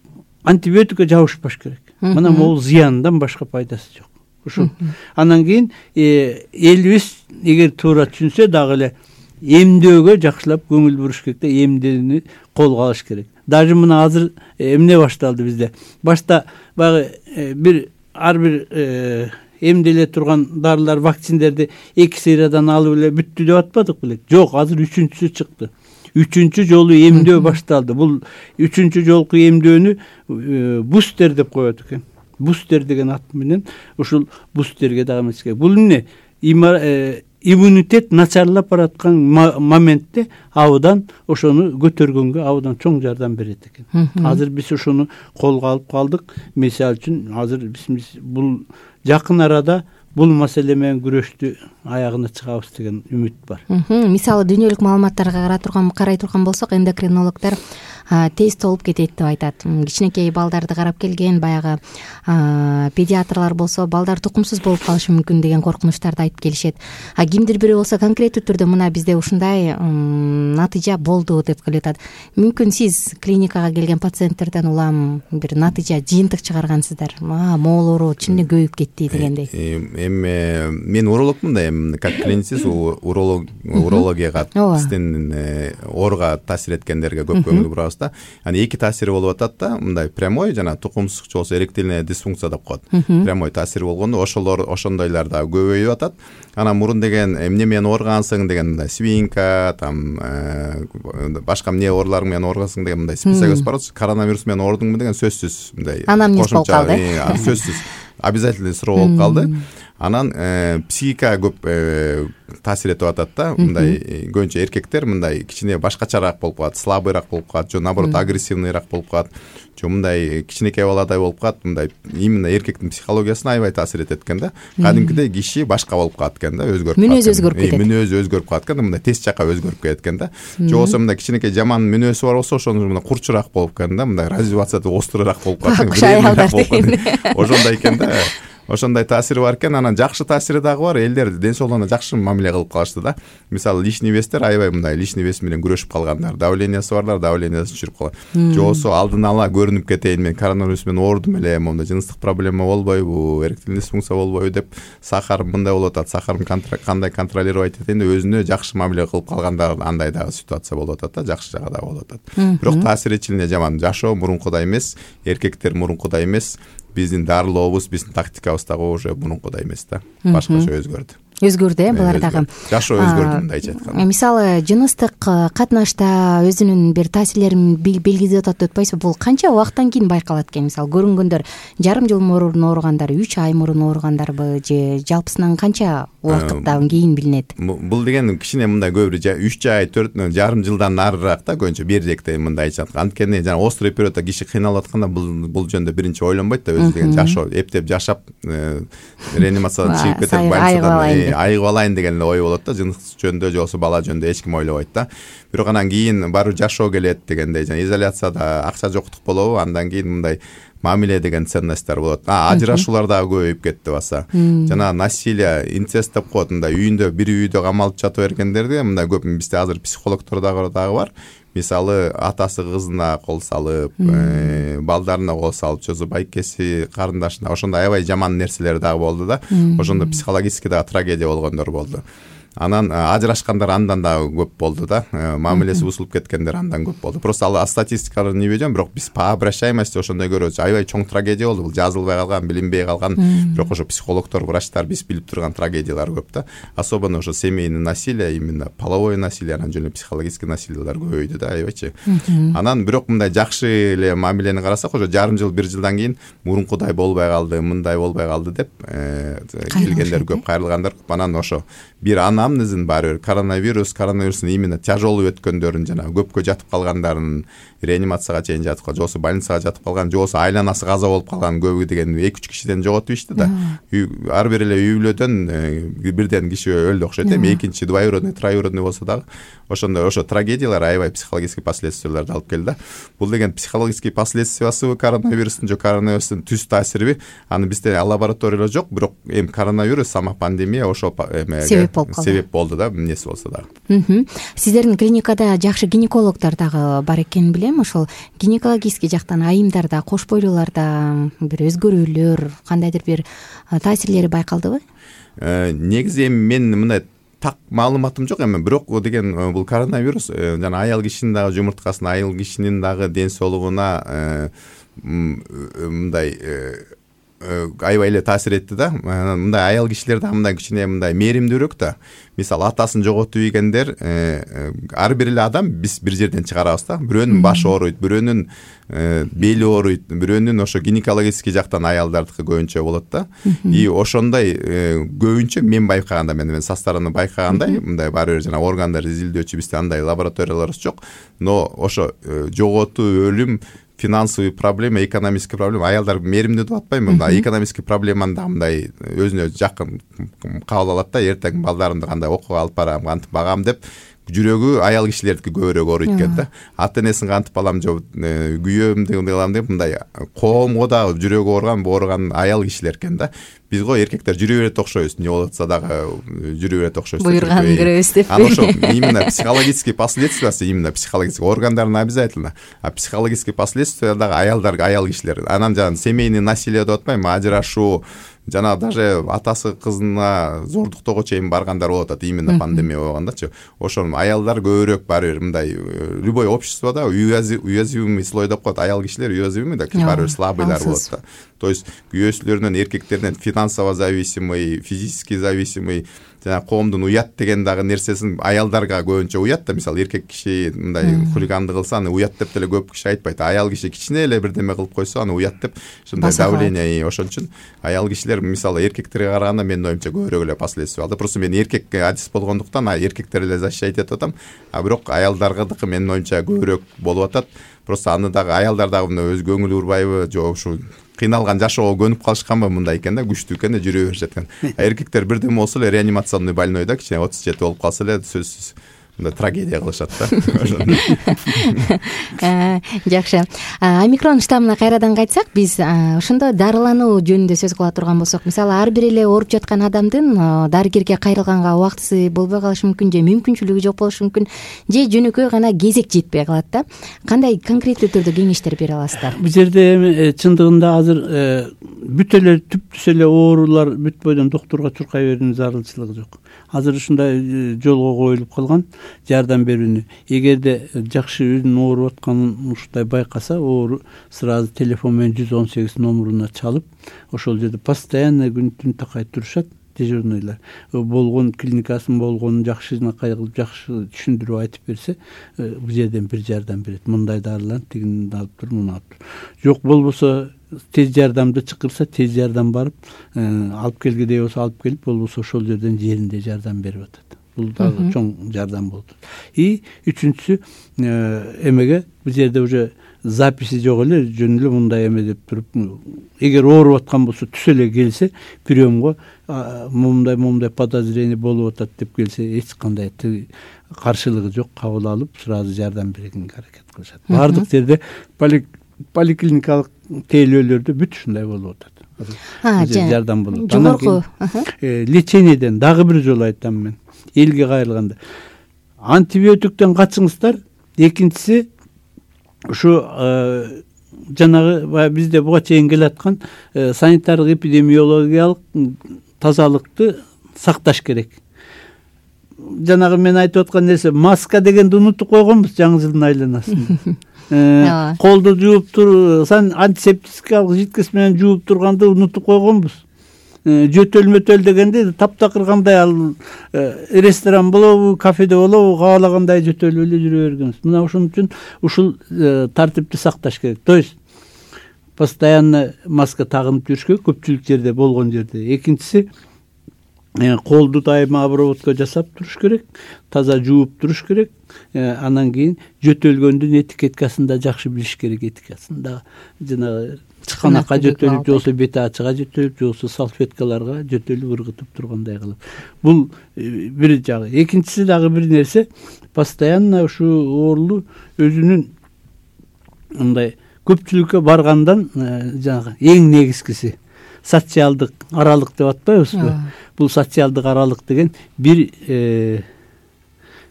антибиотикке жабышпаш керек. Мына могул зыяндан башка пайдасы жок. Ушул. Анан кийин элибиз эгер туура түшүнсө дагы эле эмдөөгө жакшылап көңүл буруш керек да, эмдени колго алыш керек. Даже мына азыр эмне башталды бизде. Башта баягы бир ар бир эмделе турган дарылар, вакциндерди эки сериядан алып эле бүттү деп атпадык белек? Жок, азыр үчүнчүсү чыкты. Үчүнчү жолу эмдөө башталды. Бул үчүнчү жолку эмдөөнү бустер деп коет экен. Бустер деген ат менен ушул бустерге дагы эмес керек. Бул эмне? Иммунитет начарлап бараткан моментте абдан ошону көтөргөнгө абдан чоң жардам берет экен. Азыр биз ошону колго алып калдык. Мисалы үчүн азыр биз бул жакын арада бул маселе менен күрөштү аягына чыгабыз деген үмүт бар. Мисалы, дүйнөлүк маалыматтарга карай турган карай турган болсок, эндокринологдор тест болуп кетет деп айтат. Кичинекей балдарды карап келген баягы педиатрлар болсо балдар тукумсуз болуп калышы мүмкүн деген коркунучтарды айтып келишет. А кимдир бирөө болсо конкреттүү түрдө мына бизде ушундай натыйжа болду деп келип атат. Мүмкүн сиз клиникага келген пациенттерден улам бир натыйжа жыйынтык чыгаргансыздар. Могул оору чын эле көбөйүп кетти дегендей. Эми мен урологмун да, эми как клиницист урологияга биздин ооруга таасир эткендерге көп көңүл бурабыз да. Аны эки таасири болуп атат да. Мындай прямой жана тукумсуз же болсо эректильная дисфункция деп коет. Прямой таасир болгондо ошолор ошондойлар да көбөйүп атат. Анан мурун деген эмне менен ооругансың деген мындай свинка, там башка эмне оорулар менен ооругансың деген мындай список бар. Коронавирус менен оорудуңбу деген сөзсүз мындай анамнез болуп калды. Сөзсүз обязательный суроо болуп калды. Анан психикага көп таасир этип атат да. Мындай көбүнчө эркектер мындай кичине башкачараак болуп калат, слабыйраак болуп калат, же наоборот агрессивныйраак болуп калат, же мындай кичинекей баладай болуп калат. Мындай именно эркектин психологиясына аябай таасир этет экен да. Кадимкидей киши башка болуп калат экен да, өзгөрүп калат. Мүнөзү өзгөрүп кетет. Мүнөзү өзгөрүп калат экен, мындай тез жака өзгөрүп кетет экен да. Же болсо мындай кичинекей жаман мүнөзү бар болсо, ошону мындай курчураак болуп экен да, мындай развивациясы остурураак болуп калат. Ошондой экен да. Ошондой таасири бар экен. Анан жакшы таасири дагы бар. Элдер ден соолугуна жакшы мамиле кылып калышты да. Мисалы лишний вестер аябай мындай лишний вес менен күрөшүп калгандар, давлениясы барлар давлениясы түшүрүп калган. Же болсо алдын ала көрүнүп кетейин, мен коронавирус менен оорудум эле, монда жыныстык проблема болбойбу, эректильный дисфункция болбойбу деп сахарым мындай болуп атат, сахарым кандай контролировать этейин деп өзүнө жакшы мамиле кылып калгандар, андай дагы ситуация болуп атат да, жакшы жагы дагы болуп атат. Бирок таасири чынында жаман. Жашоо мурункудай эмес, эркектер мурункудай эмес. Биздин дарылообуз, биздин тактикабыз дагы уже мурункудай эмес да. Башкача өзгөрдү. Өзгөрдү э булар дагы. Жашоо өзгөрдү мындайча айтканда. Мисалы жыныстык катнашта өзүнүн бир таасирлерин белгилеп атат деп атпайсызбы? Бул канча убакыттан кийин байкалат экен? Мисалы көрүнгөндөр жарым жыл мурун ооругандар, үч ай мурун ооругандарбы же жалпысынан канча убакыттан кийин билинет? Бул деген кичине мындай көбүрө үч ай, төрт жарым жылдан нарыраак да, көбүнчө бирдекте мындайча айтканда. Анткени жана острый периодда киши кыйналып атканда бул бул жөндө биринчи ойлонбойт да, өзү деген жашоо, эптеп жашап реанимациядан чыгып кетип больницадан айыгып алайын деген эле ой болот да. Жыныстык жөнүндө же болсо бала жөнүндө эч ким ойлобойт да. Бирок анан кийин барып жашоо келет дегендей, жана изоляцияда акча жоктук болобу, андан кийин мындай мамиле деген ценностьтер болот. А ажырашуулар дагы көбөйүп кетти баса. Жана насилие, инцест деп коет, мындай үйүндө бир үйдө камалып жата бергендерди мындай көп бизде азыр психологдор дагы дагы бар. Мисалы атасы кызына кол салып, балдарына кол салып, чөзү байкеси, карындашына, ошондой аябай жаман нерселер дагы болду да. Ошондо психологически дагы трагедия болгондор болду. Анан ажырашкандар андан дагы көп болду да. Мамилеси бузулуп кеткендер андан көп болду. Просто ал статистикаларын небедем, бирок биз по обращаемости ошондой көрөбүз. Аябай чоң трагедия болду. Бул жазылбай калган, билинбей калган, бирок ошо психологдор, врачтар биз билип турган трагедиялар көп да. Особенно ошо семейный насилие, именно половое насилие, анан жөн эле психологический насилиелер көбөйдү да, аябайчы. Анан бирок мындай жакшы эле мамилени карасак, ошо жарым жыл, бир жылдан кийин мурункудай болбой калды, мындай болбой калды деп келгендер көп, кайрылгандар көп. Анан ошо бир анамнезин баары коронавирус, коронавирустун именно тяжелый өткөндөрүн жана көпкө жатып калгандарын, реанимацияга чейин жатып калган, же болсо больницага жатып калган, же болсо айланасы каза болуп калган көбү деген эки үч кишиден жоготуп ишти да. Ар бир эле үй бүлөдөн бирден киши өлдү окшойт эми, экинчи двоюродный, троюродный болсо дагы ошондой ошо трагедиялар аябай психологический последствияларды алып келди да. Бул деген психологический последствиясы коронавирустун же коронавирустун түз таасириби, аны бизде лабораториялар жок, бирок эми коронавирус, сама пандемия ошол эмеге себеп болду да, эмнеси болсо дагы. Сиздердин клиникада жакшы гинекологдор дагы бар экенин билем. Ошол гинекологический жактан айымдарда, кош бойлууларда бир өзгөрүүлөр, кандайдыр бир таасирлери байкалдыбы? Негизи эми мен мындай так маалыматым жок эми, бирок деген бул коронавирус жана аял кишинин дагы жумурткасына, аял кишинин дагы ден соолугуна мындай аябай эле таасир этти да. Мындай аял кишилер дагы мындай кичине мындай мээримдүүрөөк да. Мисалы атасын жоготуп ийгендер, ар бир эле адам биз бир жерден чыгарабыз да. Бирөөнүн башы ооруйт, бирөөнүн бели ооруйт, бирөөнүн ошо гинекологический жактан аялдардыкы көбүнчө болот да. И ошондой көбүнчө мен байкаганда, мен мен со стороны байкагандай, мындай баары бир жана органдар изилдөөчү бизде андай лабораторияларыбыз жок. Но ошо жоготуу, өлүм, финансовый проблема, экономический проблема, аялдар мээримдүү деп атпайм, мындай экономический проблеманы да мындай өзүнө жакын кабыл алат да. Эртең балдарымды кандай окууга алып барам, кантип багам деп жүрөгү аял кишилердики көбүрөөк ооруйт экен да. Ата энесин кантип алам же күйөөм деп алам деп мындай коомго дагы жүрөгү ооруган ооруган аял кишилер экен да. Биз го эркектер жүрө берет окшойбуз, эмне болуп атса дагы жүрө берет окшойбуз. Буйруганын көрөбүз деп. Анан ошо именно психологический последствиясы, именно психологический органдарын обязательно, а психологический последствия дагы аялдар, аял кишилер. Анан жана семейный насилие деп атпайбы, ажырашуу, жана даже атасы кызына зордуктоого чейин баргандар болуп атат, именно пандемия болгондачы. Ошол аялдар көбүрөөк баары бир мындай любой обществода уязвимый слой деп коет, аял кишилер уязвимый да, баары бир слабыйлар болот да. То есть күйөөсүлөрүнөн, эркектеринен финансово зависимый, физически зависимый, жана коомдун уят деген дагы нерсесин аялдарга көбүнчө уят да. Мисалы эркек киши мындай хулигандык кылса, аны уят деп деле көп киши айтпайт. Аял киши кичине эле бирдеме кылып койсо, аны уят деп ушундай давление. Ошон үчүн аял кишилер мисалы эркектерге караганда менин оюмча көбүрөөк эле последствия алды. Просто мен эркек адис болгондуктан эркектер эле защищать этип атам. А бирок аялдаргадыкы менин оюмча көбүрөөк болуп атат. Просто аны дагы аялдар дагы мына өз көңүлү урбайбы, же ушу кыйналган жашоого көнүп калышканбы, мындай экен да, күчтүү экен да, жүрө беришет экен. Эркектер бирдеме болсо эле реанимационный больнойда кичине отуз жети болуп калса эле сөзсүз мындай трагедия кылышат да. Жакшы. Омикрон штаммына кайрадан кайтсак, биз ошондо дарылануу жөнүндө сөз кыла турган болсок, мисалы ар бир эле ооруп жаткан адамдын дарыгерге кайрылганга убактысы болбой калышы мүмкүн, же мүмкүнчүлүгү жок болушу мүмкүн, же жөнөкөй гана кезек жетпей калат да. Кандай конкреттүү түрдө кеңештер бере аласыздар? Бул жерде эми чындыгында азыр бүт эле түптүс эле оорулар бүт бойдон доктурга чуркай берүүнүн зарылчылыгы жок. Азыр ушундай жолго коюлуп калган жардам берүүнү. Эгерде жакшы өзүнүн ооруп атканын ушундай байкаса, оору сразу телефон менен жүз он сегиз номуруна чалып, ошол жерде постоянно күн түн такай турушат дежурныйлар. Болгон клиникасын болгонун жакшынакай кылып, жакшы түшүндүрүп айтып берсе, бул жерден бир жардам берет. Мындай дарылан, тигини алып тур, муну алып тур. Жок болбосо тез жардамды чакырса, тез жардам барып, алып келгидей болсо алып келип, болбосо ошол жерден жеринде жардам берип атат. Бул дагы чоң жардам болду. И үчүнчүсү эмеге бул жерде уже записи жок эле, жөн эле мындай эме деп туруп, эгер ооруп аткан болсо түз эле келсе, приемго мындай мындай подозрение болуп атат деп келсе, эч кандай каршылыгы жок, кабыл алып, сразу жардам бергенге аракет кылышат. Бардык жерде поликлиникалык тейлөөлөрдө бүт ушундай болуп атат. Жардам болот. Жогорку лечениеден дагы бир жолу айтам мен. Элге кайрылганда антибиотиктен качыңыздар. Экинчиси ушу жанагы бизде буга чейин келаткан санитардык эпидемиологиялык тазалыкты сакташ керек. Жанагы мен айтып аткан нерсе, маска дегенди унутуп койгонбуз жаңы жылдын айланасында. Колду жууп тур, сан антисептикалык жидкость менен жууп турганды унутуп койгонбуз. Жөтөл мөтөл дегенде таптакыр кандай ал ресторан болобу, кафеде болобу, каалагандай жөтөлүп эле жүрө бергенбиз. Мына ошон үчүн ушул тартипти сакташ керек. То есть постоянно маска тагынып жүрүш керек көпчүлүк жерде, болгон жерде. Экинчиси, колду дайыма обработка жасап туруш керек, таза жууп туруш керек. Анан кийин жөтөлгөндүн этикеткасын да жакшы билиш керек, этикасын да. Жанагы чыканакка жөтөлүп, же болбосо бет ачыга жөтөлүп, же болбосо салфеткаларга жөтөлүп ыргытып тургандай кылып. Бул бир жагы. Экинчиси дагы бир нерсе, постоянно ушу оорулуу өзүнүн мындай көпчүлүккө баргандан жанагы эң негизгиси социалдык аралык деп атпайбызбы? Бул социалдык аралык деген бир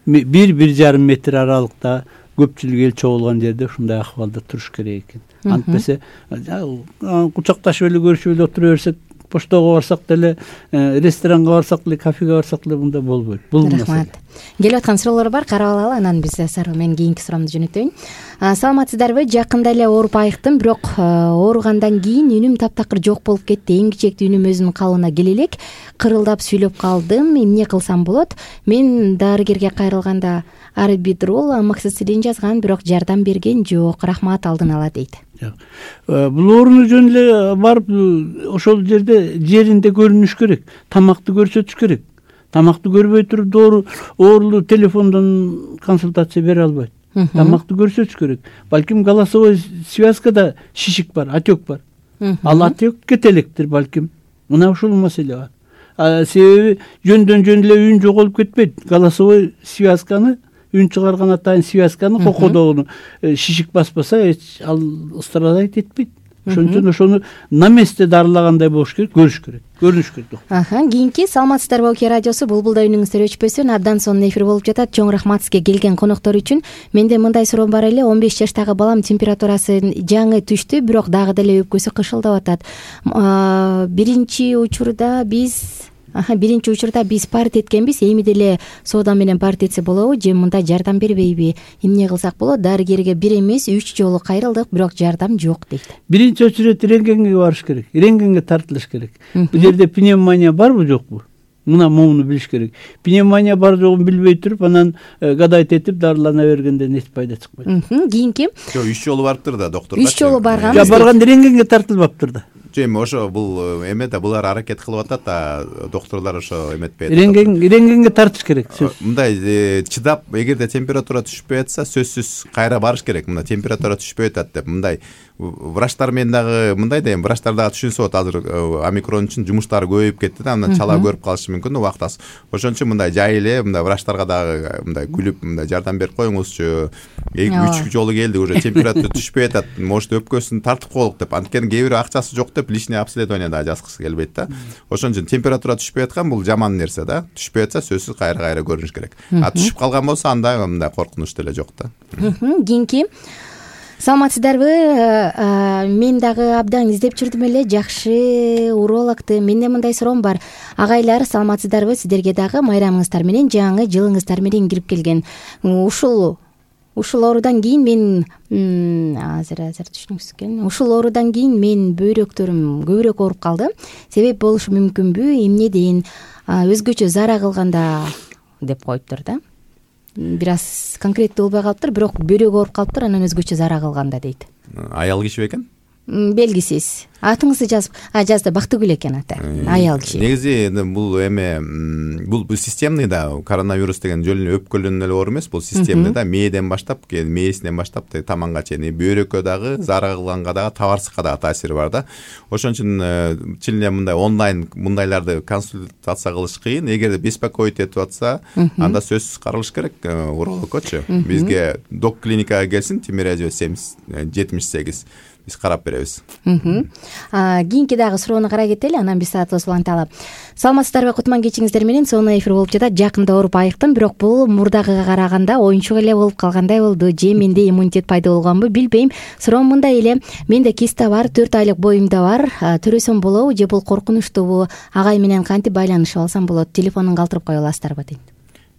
бир бир жарым метр аралыкта көпчүлүк эл чогулган жерде ушундай акыбалда туруш керек экен. Антпесе кучакташып эле көрүшүп эле отура берсек, поштого барсак деле, ресторанга барсак деле, кафеге барсак деле мында болбойт. Бул маселе. Келип аткан суроолор бар, карап алалы, анан биз Сару мен кийинки суроомду жөнөтөйүн. Саламатсыздарбы? Жакында эле ооруп айыктым, бирок ооругандан кийин үнүм таптакыр жок болуп кетти. Эң кичектүү үнүм өзүнүн калыбына келе элек, кырылдап сүйлөп калдым. Эмне кылсам болот? Мен дарыгерге кайрылганда арбидрол, амоксициллин жазган, бирок жардам берген жок. Рахмат, алдын ала дейт. Бул ооруну жөн эле барып ошол жерде жеринде көрүнүш керек, тамакты көрсөтүш керек. Тамакты көрбөй туруп доору оорулуу телефондон консультация бере албайт. Тамакты көрсөтүш керек. Балким голосовой связкада шишик бар, отек бар. Ал отек кетелектир балким. Мына ушул маселе бар. Себеби жөндөн жөн эле үн жоголуп кетпейт. Голосовой связканы үн чыгарган атайын связканы кокодогуну шишик баспаса ал страдать этпейт. Ошон үчүн ошону на месте дарылагандай болуш керек, көрүш керек, көрүнүш керек. Аха, кийинки саламатсыздарбы Оке радиосу Булбулда үнүңүздөр өчпөсүн абдан сонун эфир болуп жатат. Чоң рахмат сизге келген коноктор үчүн. Менде мындай суроо бар эле, он беш жаштагы балам температурасы жаңы түштү, бирок дагы деле өпкөсү кышылдап атат. Биринчи учурда биз Аха, биринчи учурда биз парт эткенбиз, эми деле соода менен парт этсе болобу же мындай жардам бербейби? Эмне кылсак болот? Дарыгерге бир эмес, үч жолу кайрылдык, бирок жардам жок дейт. Биринчи очередь рентгенге барыш керек, рентгенге тартылыш керек. Бул жерде пневмония барбы жокпу? Мына моуну билиш керек. Пневмония бар жогун билбей туруп, анан гадайт этип дарылана бергенден эч пайда чыкпайт. Кийинки жок, үч жолу барыптыр да доктурга. үч жолу барган. Жок, барган рентгенге тартылбаптыр да. Эми ошо бул эме да булар аракет кылып атат да, доктурлар ошо эметпейт. Рентген рентгенге тартыш керек. Мындай чыдап, эгерде температура түшпөй атса, сөзсүз кайра барыш керек. Мына температура түшпөй атат деп, мындай врачтар менен дагы мындай да эми врачтар дагы түшүнсө болот, азыр омикрон үчүн жумуштары көбөйүп кетти да, анан чала көрүп калышы мүмкүн убактасы. Ошон үчүн мындай жай эле мындай врачтарга дагы мындай күлүп мындай жардам берип коюңузчу. Үч жолу келди, уже температура түшпөй атат, может өпкөсүн тартып коелук деп. Анткени кээ бирөө акчасы жок деп лишний обследование да жазгысы келбейт да. Ошон үчүн температура түшпөй аткан бул жаман нерсе да. Түшпөй атса сөзсүз кайра-кайра көрүнүш керек. А түшүп калган болсо анда мындай коркунуч деле жок да. Кийинки саламатсыздарбы? Мен дагы абдан издеп жүрдүм эле жакшы урологду. Менде мындай суроом бар. Агайлар, саламатсыздарбы? Сиздерге дагы майрамыңыздар менен, жаңы жылыңыздар менен кирип келген. Ушул Ушул оорудан кийин мен азыр азыр түшүнүксүз экен. Ушул оорудан кийин мен бөйрөктөрүм көбүрөөк ооруп калды. Себеп болушу мүмкүнбү? Эмнеден? Өзгөчө зара кылганда деп коюптур да. Бир аз конкреттүү болбой калыптыр, бирок бөйрөгү ооруп калыптыр, анан өзгөчө зара кылганда дейт. Аял киши бекен? Белгисиз. Атыңызды жазып, а жазды, Бактыгүл экен аты. Аял киши. Негизи бул эме бул системный да, коронавирус деген жөн эле өпкөлдөн эле оору эмес, бул системный да, мээден баштап, мээсинен баштап таманга чейин, бөйрөккө дагы, зара кылганга дагы, табарсыкка дагы таасири бар да. Ошон үчүн чын эле мындай онлайн мындайларды консультация кылыш кыйын. Эгерде беспокоить этип атса, анда сөзсүз каралыш керек урологкочу. Бизге док клиникага келсин, Тимирязева семьдесят жетимиш сегиз. Биз карап беребиз. Кийинки дагы суроону карай кетели, анан биз саатыбыз уланталы. Саламатсыздарбы? Кутман кечиңиздер менен, сонун эфир болуп жатат. Жакында ооруп айыктым, бирок бул мурдагыга караганда оюнчук эле болуп калгандай болду. Же менде иммунитет пайда болгонбу, билбейм. Суроом мындай эле. Менде киста бар, төрт айлык боюмда бар. Төрөсөм болобу же бул коркунучтуубу? Агай менен кантип байланышып алсам болот? Телефонун калтырып кое аласыздарбы дейт.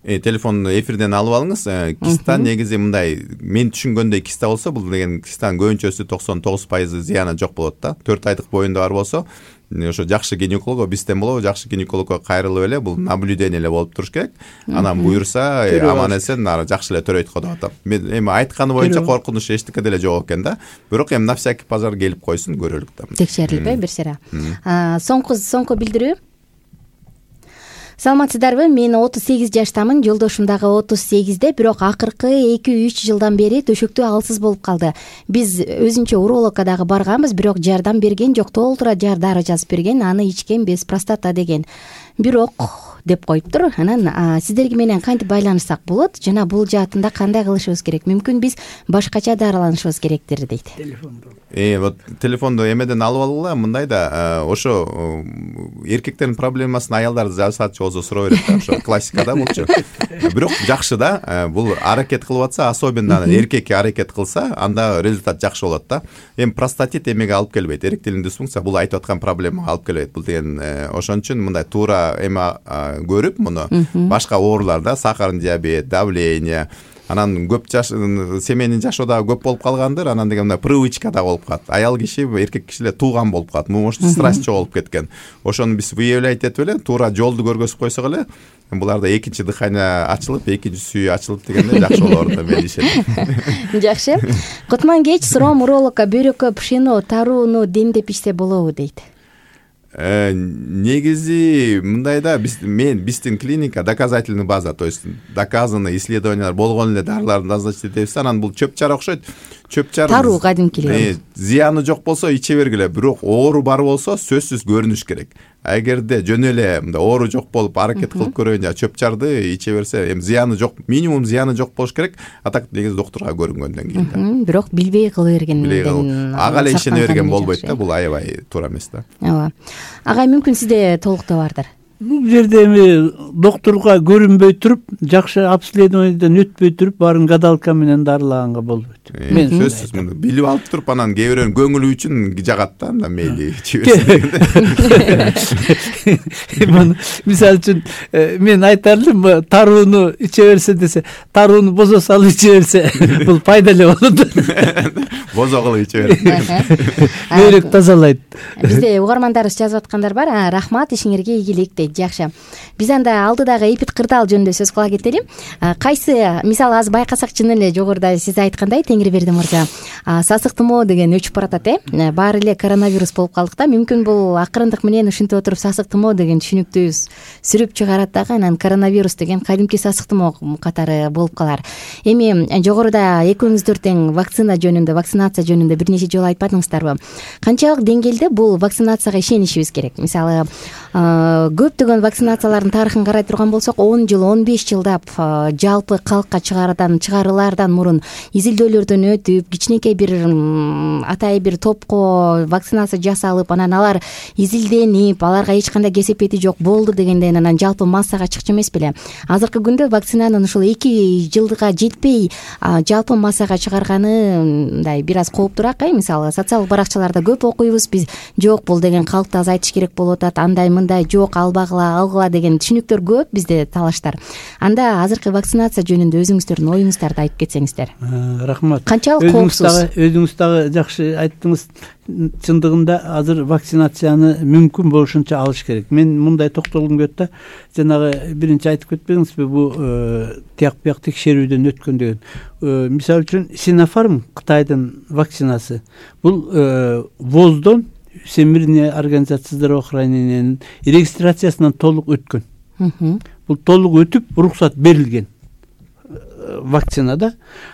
Э, телефонду эфирден алып алыңыз. Киста негизи мындай, мен түшүнгөндөй киста болсо, бул деген кистанын көбүнчөсү токсон тогуз пайызы зыяны жок болот да. төрт айлык боюнда бар болсо, ошо жакшы гинеколог, бизден болобу, жакшы гинекологко кайрылып эле бул наблюдение эле болуп туруш керек. Анан буюрса, аман эсен жакшы эле төрөйт го деп атам. Мен эми айтканы боюнча коркунуч эчтеке деле жок экен да. Бирок эми на всякий пожар келип койсун, көрөлүк да. Текшерилип бир сыйра. Соңку соңку билдирүү. Саламатсыздарбы? Мен отуз сегиз жаштамын, жолдошум дагы отуз сегизде, бирок акыркы эки үч жылдан бери төшөктө алсыз болуп калды. Биз өзүнчө урологко дагы барганбыз, бирок жардам берген жок, толтура дары жазып берген, аны ичкен без простата деген. Бирок деп коюптур. Анан сиздерге менен кантип байланышсак болот? Жана бул жаатында кандай кылышыбыз керек? Мүмкүн биз башкача дарыланышыбыз керектир дейт. Телефонду. Э, вот телефонду эмеден алып алгыла, мындай да, ошо эркектердин проблемасын аялдар жазсачы болсо суроо берет да, ошо классика да булчу. Бирок жакшы да, бул аракет кылып атса, особенно эркек аракет кылса, анда результат жакшы болот да. Эми простатит эмеге алып келбейт, эректилдин дисфункция бул айтып аткан проблемага алып келбейт. Бул деген ошон үчүн мындай туура эме көрүп муну, башка ооруларда сахарный диабет, давление, анан көп жаш семейный жашоо дагы көп болуп калгандыр, анан деген мындай привычка да болуп калат. Аял киши, эркек кишилер тууган болуп калат. Может, страсть чогулуп кеткен. Ошону биз выявлять этип эле, туура жолду көргөзүп койсок эле, буларда экинчи дыхание ачылып, экинчи сүйү ачылып дегенде жакшы болор да, мен ишенем. Жакшы. Кутман кеч, суроом урологко бөйрөккө пшено, тарууну демдеп ичсе болобу дейт. негизи мындай да, биз мен биздин клиника доказательный база, то есть доказанный исследованиялар болгон эле дарыларды назначить этебиз. Анан бул чөп чара окшойт. Чөп чара таруу кадимки эле. Зыяны жок болсо иче бергиле, бирок оору бар болсо сөзсүз көрүнүш керек. Эгерде жөн эле мындай оору жок болуп аракет кылып көрөйүн жана чөп чарды иче берсе, эми зыяны жок, минимум зыяны жок болуш керек. А так негизи доктурга көрүнгөндөн кийин. Бирок билбей кыла бергенден ага эле ишене берген болбойт да, бул аябай туура эмес да. Ооба. Агай, мүмкүн сизде толуктоо бардыр. Бул жерде эми доктурга көрүнбөй туруп, жакшы обследованиеден өтпөй туруп, баарын гадалка менен дарылаганга болбойт. Мен сөзсүз муну билип алып туруп, анан кээ бирөөнүн көңүлү үчүн жагат да, анда мейли мисалы үчүн мен айтар элем, тарууну иче берсе десе, тарууну бозо салып иче берсе, бул пайдалуу болот. Бозо кылып иче берсе бөйрөк тазалайт. Бизде угармандарыбыз жазып аткандар бар. Рахмат, ишиңерге ийгилик дейт. Жакшы. Биз анда алдыдагы эпид кырдаал жөнүндө сөз кыла кетели. Кайсы, мисалы азыр байкасак, чын эле жогоруда сиз айткандай, Теңирберди мырза, сасык тумоо деген өчүп баратат, э? Баары эле коронавирус болуп калдык да. Мүмкүн бул акырындык менен ушинтип отуруп сасык тумоо деген түшүнүктү сүрүп чыгарат дагы, анан коронавирус деген кадимки сасык тумоо катары болуп калар. Эми жогоруда экөөңүздөр тең вакцина жөнүндө, вакцинация жөнүндө бир нече жолу айтпадыңыздарбы? Канчалык деңгээлде бул вакцинацияга ишенишибиз керек? Мисалы, көптөгөн вакцинациялардын тарыхын карай турган болсок, он жыл, он беш жылдап жалпы калкка чыгардан чыгарылаардан мурун изилдөөлөрдөн өтүп, кичинекей бир атай бир топко вакцинация жасалып, анан алар изилденип, аларга эч кандай кесепети жок болду дегенден анан жалпы массага чыкчу эмес беле? Азыркы күндө вакцинанын ушул эки жылга жетпей жалпы массага чыгарганы мындай бир аз кооптуураак, э? Мисалы, социалдык баракчаларда көп окуйбуз биз, жок бул деген калкты азайтыш керек болуп атат, андай мындай, жок албагыла, алгыла деген түшүнүктөр көп бизде, талаштар. Анда азыркы вакцинация жөнүндө өзүңүздөрдүн оюңуздарды айтып кетсеңиздер. Рахмат. Канчалык коопсуз? Өзүңүз дагы жакшы айттыңыз. Чындыгында азыр вакцинацияны мүмкүн болушунча алыш керек. Мен мындай токтолгум келет да, жанагы биринчи айтып кетпедиңизби, бул тияк бияк текшерүүдөн өткөн деген. Мисалы үчүн Sinopharm Кытайдын вакцинасы. Бул воздон Всемирная организация здравоохранениянын регистрациясынан толук өткөн. Бул толук өтүп, уруксат берилген вакцинада.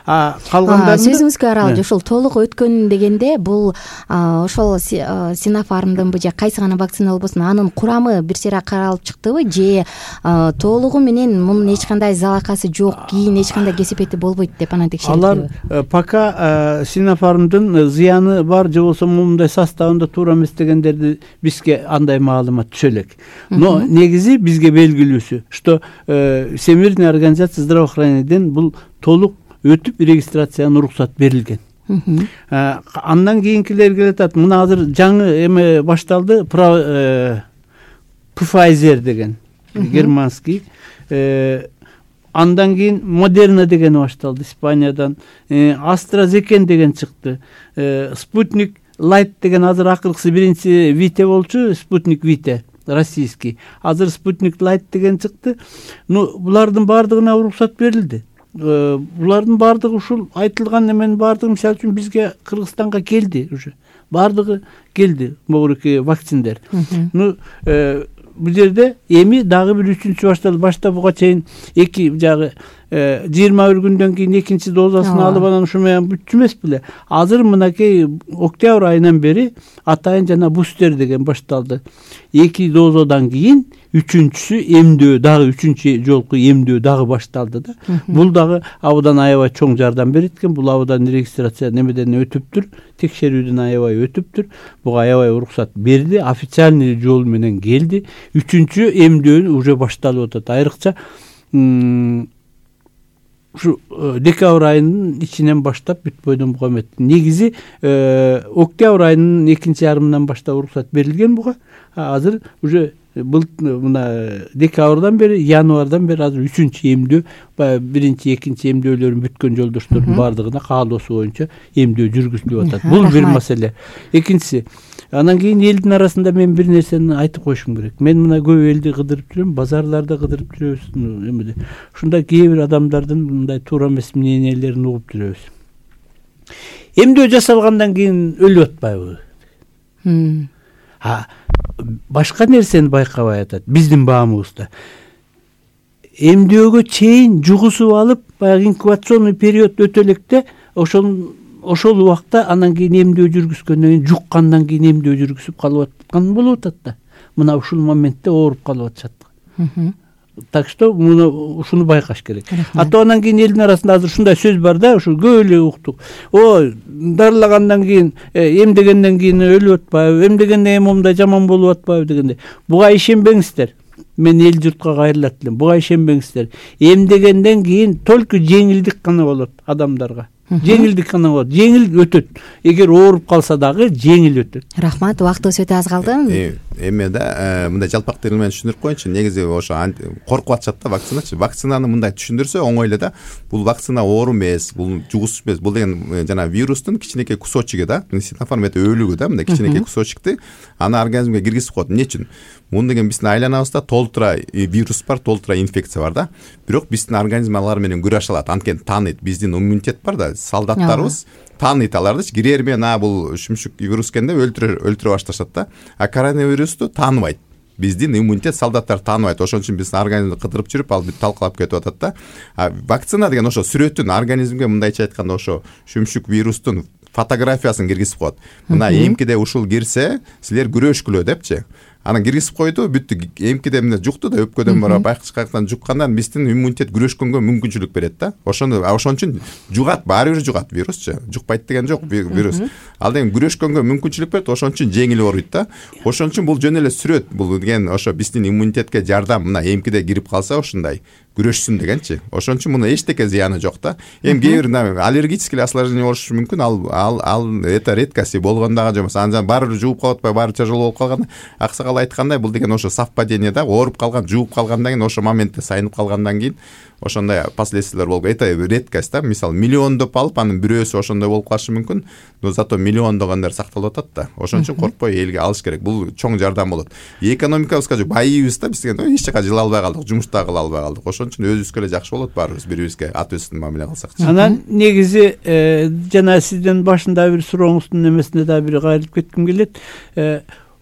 А калгандар сөзүңүзгө аралап, ошол толук өткөн дегенде бул ошол Sinopharmдынбы же кайсы гана вакцина болбосун, анын курамы бир сыйра каралып чыктыбы, же толугу менен мунун эч кандай залакасы жок, кийин эч кандай кесепети болбойт деп анан текшерилди? Алар пока Sinopharmдын зыяны бар же болбосо мындай составында туура эмес дегендерди бизге андай маалымат түшө элек. Но негизи бизге белгилүүсү, что Всемирная организация здравоохраненияден бул толук өтүп регистрацияга уруксат берилген. Андан кийинкилер келатат. Мына азыр жаңы эме башталды, Pfizer деген германский. Андан кийин Moderna деген башталды Испаниядан. AstraZeneca деген чыкты. Sputnik Light деген азыр акыркысы биринчи Vite болчу, Sputnik Vite российский. Азыр Sputnik Light деген чыкты. Ну, булардын бардыгына уруксат берилди. Булардын бардыгы ушул айтылган эменин бардыгы, мисалы үчүн бизге Кыргызстанга келди уже. Бардыгы келди, могуреки вакциндер. Ну, бул жерде эми дагы бир үчүнчү башталды. Башта буга чейин эки жагы жыйырма бир күндөн кийин экинчи дозасын алып анан ушу менен бүтчү эмес беле. Азыр мынакей октябрь айынан бери атайын жана бустер деген башталды. Эки дозадан кийин үчүнчүсү эмдөө, дагы үчүнчү жолку эмдөө дагы башталды да. Бул дагы абдан аябай чоң жардам берет экен. Бул абдан регистрация немеден өтүптүр, текшерүүдөн аябай өтүптүр. Буга аябай уруксат берди, официальный жол менен келди. Үчүнчү эмдөө уже башталып атат. Айрыкча ушу декабрь айынын ичинен баштап бүтбөйдөн буга эмет. Негизи октябрь айынын экинчи ярымынан баштап уруксат берилген буга. Азыр уже бул мына декабрдан бери, январдан бери азыр үчүнчү эмдөө, биринчи, экинчи эмдөөлөрүн бүткөн жолдоштордун бардыгына каалоосу боюнча эмдөө жүргүзүлүп атат. Бул бир маселе. Экинчиси, анан кийин элдин арасында мен бир нерсени айтып коюшум керек. Мен мына көп элди кыдырып жүрөм, базарларда кыдырып жүрөбүз, эмеде. Ушунда кээ бир адамдардын мындай туура эмес мнениелерин угуп жүрөбүз. Эмдөө жасалгандан кийин өлүп атпайбы? А башка нерсени байкабай атат биздин баамыбызда. Эмдөөгө чейин жугусуп алып, баягы инкубационный период өтө электе ошол ошол убакта анан кийин эмдөө жүргүзгөндөн кийин жуккандан кийин эмдөө жүргүзүп калып аткан болуп атат да. Мына ушул моментте ооруп калып атышат. Так что муну ушуну байкаш керек. Ата андан кийин элдин арасында азыр ушундай сөз бар да, ушу көп эле уктук. Ой, дарылагандан кийин, эмдегенден кийин өлүп атпайбы, эмдегенден кийин момундай жаман болуп атпайбы дегенде. Буга ишенбеңиздер. Мен эл журтка кайрылат элем. Буга ишенбеңиздер. Эмдегенден кийин только жеңилдик гана болот адамдарга. Жеңилдик гана болот. Жеңил өтөт. Эгер ооруп калса дагы жеңил өтөт. Рахмат, убактыбыз өтө аз калды. Эми да мындай жалпак тил менен түшүндүрүп коеюнчу. Негизи ошо коркуп атышат да вакциначы. Вакцинаны мындай түшүндүрсө оңой эле да. Бул вакцина оору эмес, бул жугуш эмес. Бул деген жана вирустун кичинекей кусочугу да. Синофарм эте өлүгү да, мындай кичинекей кусочукты аны организмге киргизип коет. Эмне үчүн? Муну деген биздин айланабызда толтура вирус бар, толтура инфекция бар да. Бирок биздин организм алар менен күрөшө алат. Анткени тааныйт. Биздин иммунитет бар да, солдаттарыбыз тааныйт алардычы. Кирер менен а бул шүмшүк вирус экен деп өлтүрө өлтүрө башташат да. А коронавирусту тааныбайт. Биздин иммунитет солдаттар тааныбайт. Ошон үчүн биздин организмди кыдырып жүрүп, ал бүт талкалап кетип атат да. А вакцина деген ошо сүрөтүн организмге мындайча айтканда ошо шүмшүк вирустун фотографиясын киргизип коет. Мына эмкиде ушул кирсе, силер күрөшкүлө депчи. Анан киргизип койду, бүттү. Эмкиде эмне жукту да, өпкөдөн бара байкычкактан жуккандан биздин иммунитет күрөшкөнгө мүмкүнчүлүк берет да. Ошону ошон үчүн жугат, баары бир жугат вирусчу. Жукпайт деген жок вирус. Ал деген күрөшкөнгө мүмкүнчүлүк берет, ошон үчүн жеңил ооруйт да. Ошон үчүн бул жөн эле сүрөт. Бул деген ошо биздин иммунитетке жардам. Мына эмкиде кирип калса ушундай күрөшсүн дегенчи. Ошон үчүн муну эчтеке зыяны жок да. Эми кээ бир аллергический осложнение болушу мүмкүн. Ал ал ал это редкость болгон дагы жок. Анан баары бир жууп калып атпайбы, баары тяжело болуп калган. Аксакал айткандай, бул деген ошо совпадение да. Ооруп калган, жууп калгандан кийин ошо моментте сайынып калгандан кийин ошондой последствиялар болуп. Это редкость да. Мисалы миллиондоп алып, анын бирөөсү ошондой болуп калышы мүмкүн. Но зато миллиондогондор сакталып атат да. Ошон үчүн коркпой элге алыш керек. Бул чоң жардам болот. Экономикабызга же байыбыз да, биз деген эч жака жыла албай калдык, жумушта кыла албай калдык. Ошон үчүн өзүбүзгө эле жакшы болот, баарыбыз бири-бирибизге ат үстүн мамиле кылсакчы. Анан негизи жана сиздин башында бир сурооңуздун немесине да бир кайрылып кетким келет.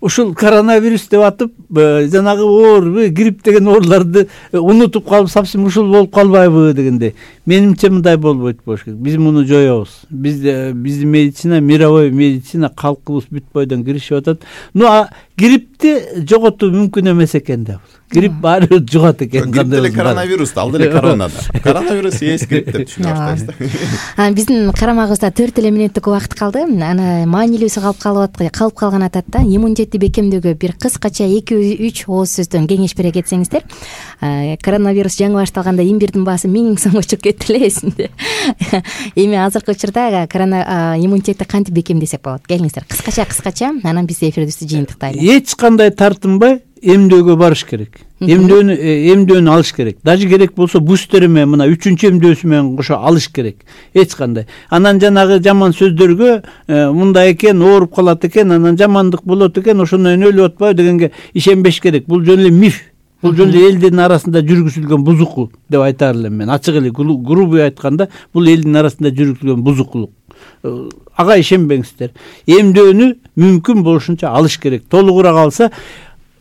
Ушул коронавирус деп атып, жанагы оор, грипп деген ооруларды унутуп калып, совсем ушул болуп калбайбы дегенде. Менимче мындай болбойт болуш керек. Биз муну жоёбуз. Бизде биздин медицина, мировой медицина, калкыбыз бүт бойдон киришип атат. Ну а гриппти жоготуу мүмкүн эмес экен да. Грипп баары жугат экен. Грипп деле коронавирус, ал деле корона да. Коронавирус эс грипп деп түшүнүп баштайбыз. Биздин карамагыбызда төрт эле мүнөттүк убакыт калды. Аны маанилүүсү калып калып калып калган атат да. Иммунитетти бекемдөөгө бир кыскача эки үч ооз сөздөн кеңеш бере кетсеңиздер. Коронавирус жаңы башталганда имбирдин баасы миң сомго чыгып кетти эле эсимде. Эми азыркы учурда корона иммунитетти кантип бекемдесек болот? Келиңиздер, кыскача кыскача, анан биз эфирибизди жыйынтыктайлы. Эч кандай тартынбай эмдөөгө барыш керек. Эмдөөнү эмдөөнү алыш керек. Даже керек болсо бустер менен мына үчүнчү эмдөөсү менен кошо алыш керек. Эч кандай. Анан жанагы жаман сөздөргө мындай экен, ооруп калат экен, анан жамандык болот экен, ошондон өлүп атпайбы дегенге ишенбеш керек. Бул жөн эле миф. Бул жөн эле элдин арасында жүргүзүлгөн бузуку деп айтар элем мен. Ачык эле грубый айтканда, бул элдин арасында жүргүзүлгөн бузукулук. Ага ишенбеңиздер. Эмдөөнү мүмкүн болушунча алыш керек. Толугураак алса,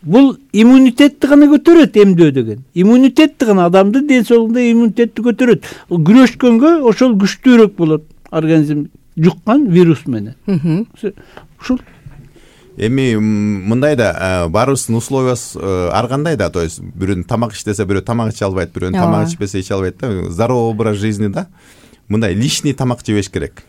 бул иммунитетти гана көтөрөт эмдөө деген. Иммунитетти гана адамдын ден соолугунда иммунитетти көтөрөт. Күрөшкөнгө ошол күчтүүрөөк болот организм жуккан вирус менен. Ушул. Эми мындай да баарыбыздын условиябыз ар кандай да, то есть бирөө тамак иштесе, бирөө тамак иче албайт, бирөө тамак ичпесе иче албайт да. Здоровый образ жизни да. Мындай лишний тамак жебеш керек.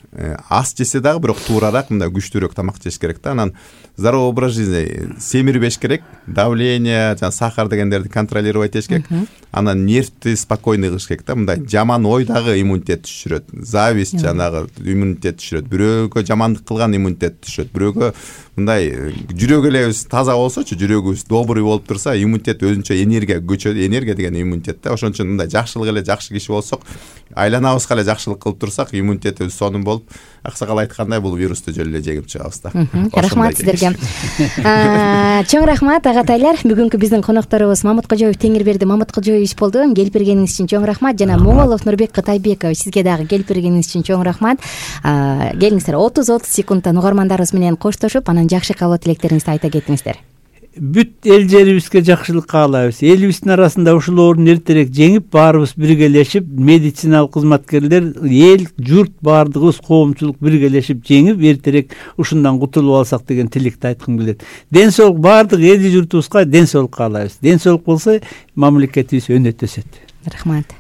Аз жесе дагы бирок туурараак, мындай күчтүүрөөк тамак жеш керек да. Анан здоровый образ жизни семирбеш керек. Давление, жана сахар дегендерди контролировать этиш керек. Анан нервти спокойный кылыш керек да. Мындай жаман ой дагы иммунитет түшүрөт. Зависть жанагы иммунитет түшүрөт. Бирөөгө жамандык кылган иммунитет түшөт. Бирөөгө мындай жүрөгү эле таза болсочу, жүрөгүбүз добрый болуп турса, иммунитет өзүнчө энергия көчөт. Энергия деген иммунитет да. Ошон үчүн мындай жакшылык эле жакшы киши болсок, айланабызга эле жакшылык кылып турсак, иммунитетибиз сонун болуп, аксакал айткандай бул вирусту жөн эле жеңип чыгабыз да. Рахмат сиздерге. Чоң рахмат агатайлар. Бүгүнкү биздин конокторубуз Мамыт Кожоев Теңирберди Мамыт Кожоевич болду. Келип бергениңиз үчүн чоң рахмат. Жана Моңолов Нурбек Кытайбекович, сизге дагы келип бергениңиз үчүн чоң рахмат. Келиңиздер, отуз отуз секундтан угармандарыбыз менен коштошуп, анан жакшы кабыл тилектериңизди айта кетиңиздер. бүт эл жерибизге жакшылык каалайбыз. Элибиздин арасында ушул оорун эртерээк жеңип, баарыбыз биргелешип, медициналык кызматкерлер, эл, журт баардыгыбыз, коомчулук биргелешип жеңип, эртерээк ушундан кутулуп алсак деген тилекти айткым келет. Ден соолук баардык эл журтубузга ден соолук каалайбыз. Ден соолук болсо мамлекетибиз өнөт өсөт. Рахмат.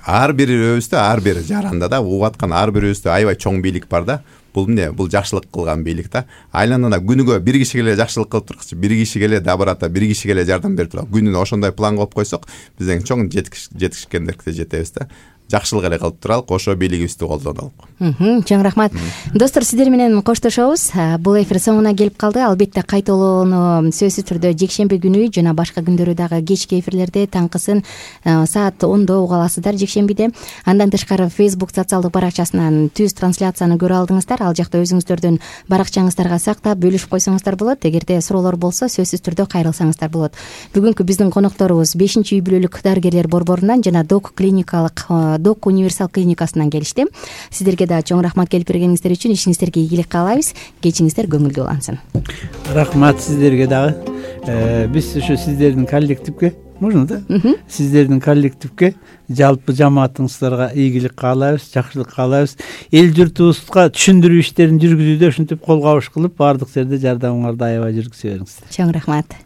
Ар бирибизде, ар бир жаранда да угуп аткан ар бирибизде аябай чоң бийлик бар да. Бул эмне? Бул жакшылык кылган бийлик да. Айланада күнүгө бир кишиге эле жакшылык кылып турчу, бир кишиге эле да барата, бир кишиге эле жардам берип турат. Күнүнө ошондой план коюп койсок, бизден чоң жетишкендерге жетебиз да. Жакшылык эле кылып туралык, ошо бийлигибизди колдонолук. Чоң рахмат. Достор, сиздер менен коштошобуз. Бул эфир соңуна келип калды. Албетте кайталоону сөзсүз түрдө жекшемби күнү жана башка күндөрү дагы кечки эфирлерде таңкысын саат ондо уга аласыздар жекшембиде. Андан тышкары Facebook социалдык баракчасынан түз трансляцияны көрө алдыңыздар. Ал жакта өзүңүздөрдүн баракчаңыздарга сактап бөлүшүп койсоңуздар болот. Эгерде суроолор болсо сөзсүз түрдө кайрылсаңыздар болот. Бүгүнкү биздин конокторубуз бешинчи үй бүлөлүк дарыгерлер борборунан жана Док клиникалык Док универсал клиникасынан келишти. Сиздерге да чоң рахмат келип бергениңиздер үчүн. Ишиңиздерге ийгилик каалайбыз. Кечиңиздер көңүлдүү улансын. Рахмат сиздерге дагы. Биз ушу сиздердин коллективге, можно да? Сиздердин коллективге, жалпы жамаатыңыздарга ийгилик каалайбыз, жакшылык каалайбыз. Эл журтубузга түшүндүрүү иштерин жүргүзүүдө ушинтип кол кабыш кылып, баардык жерде жардамыңарды аябай жүргүзө бериңиздер. Чоң рахмат.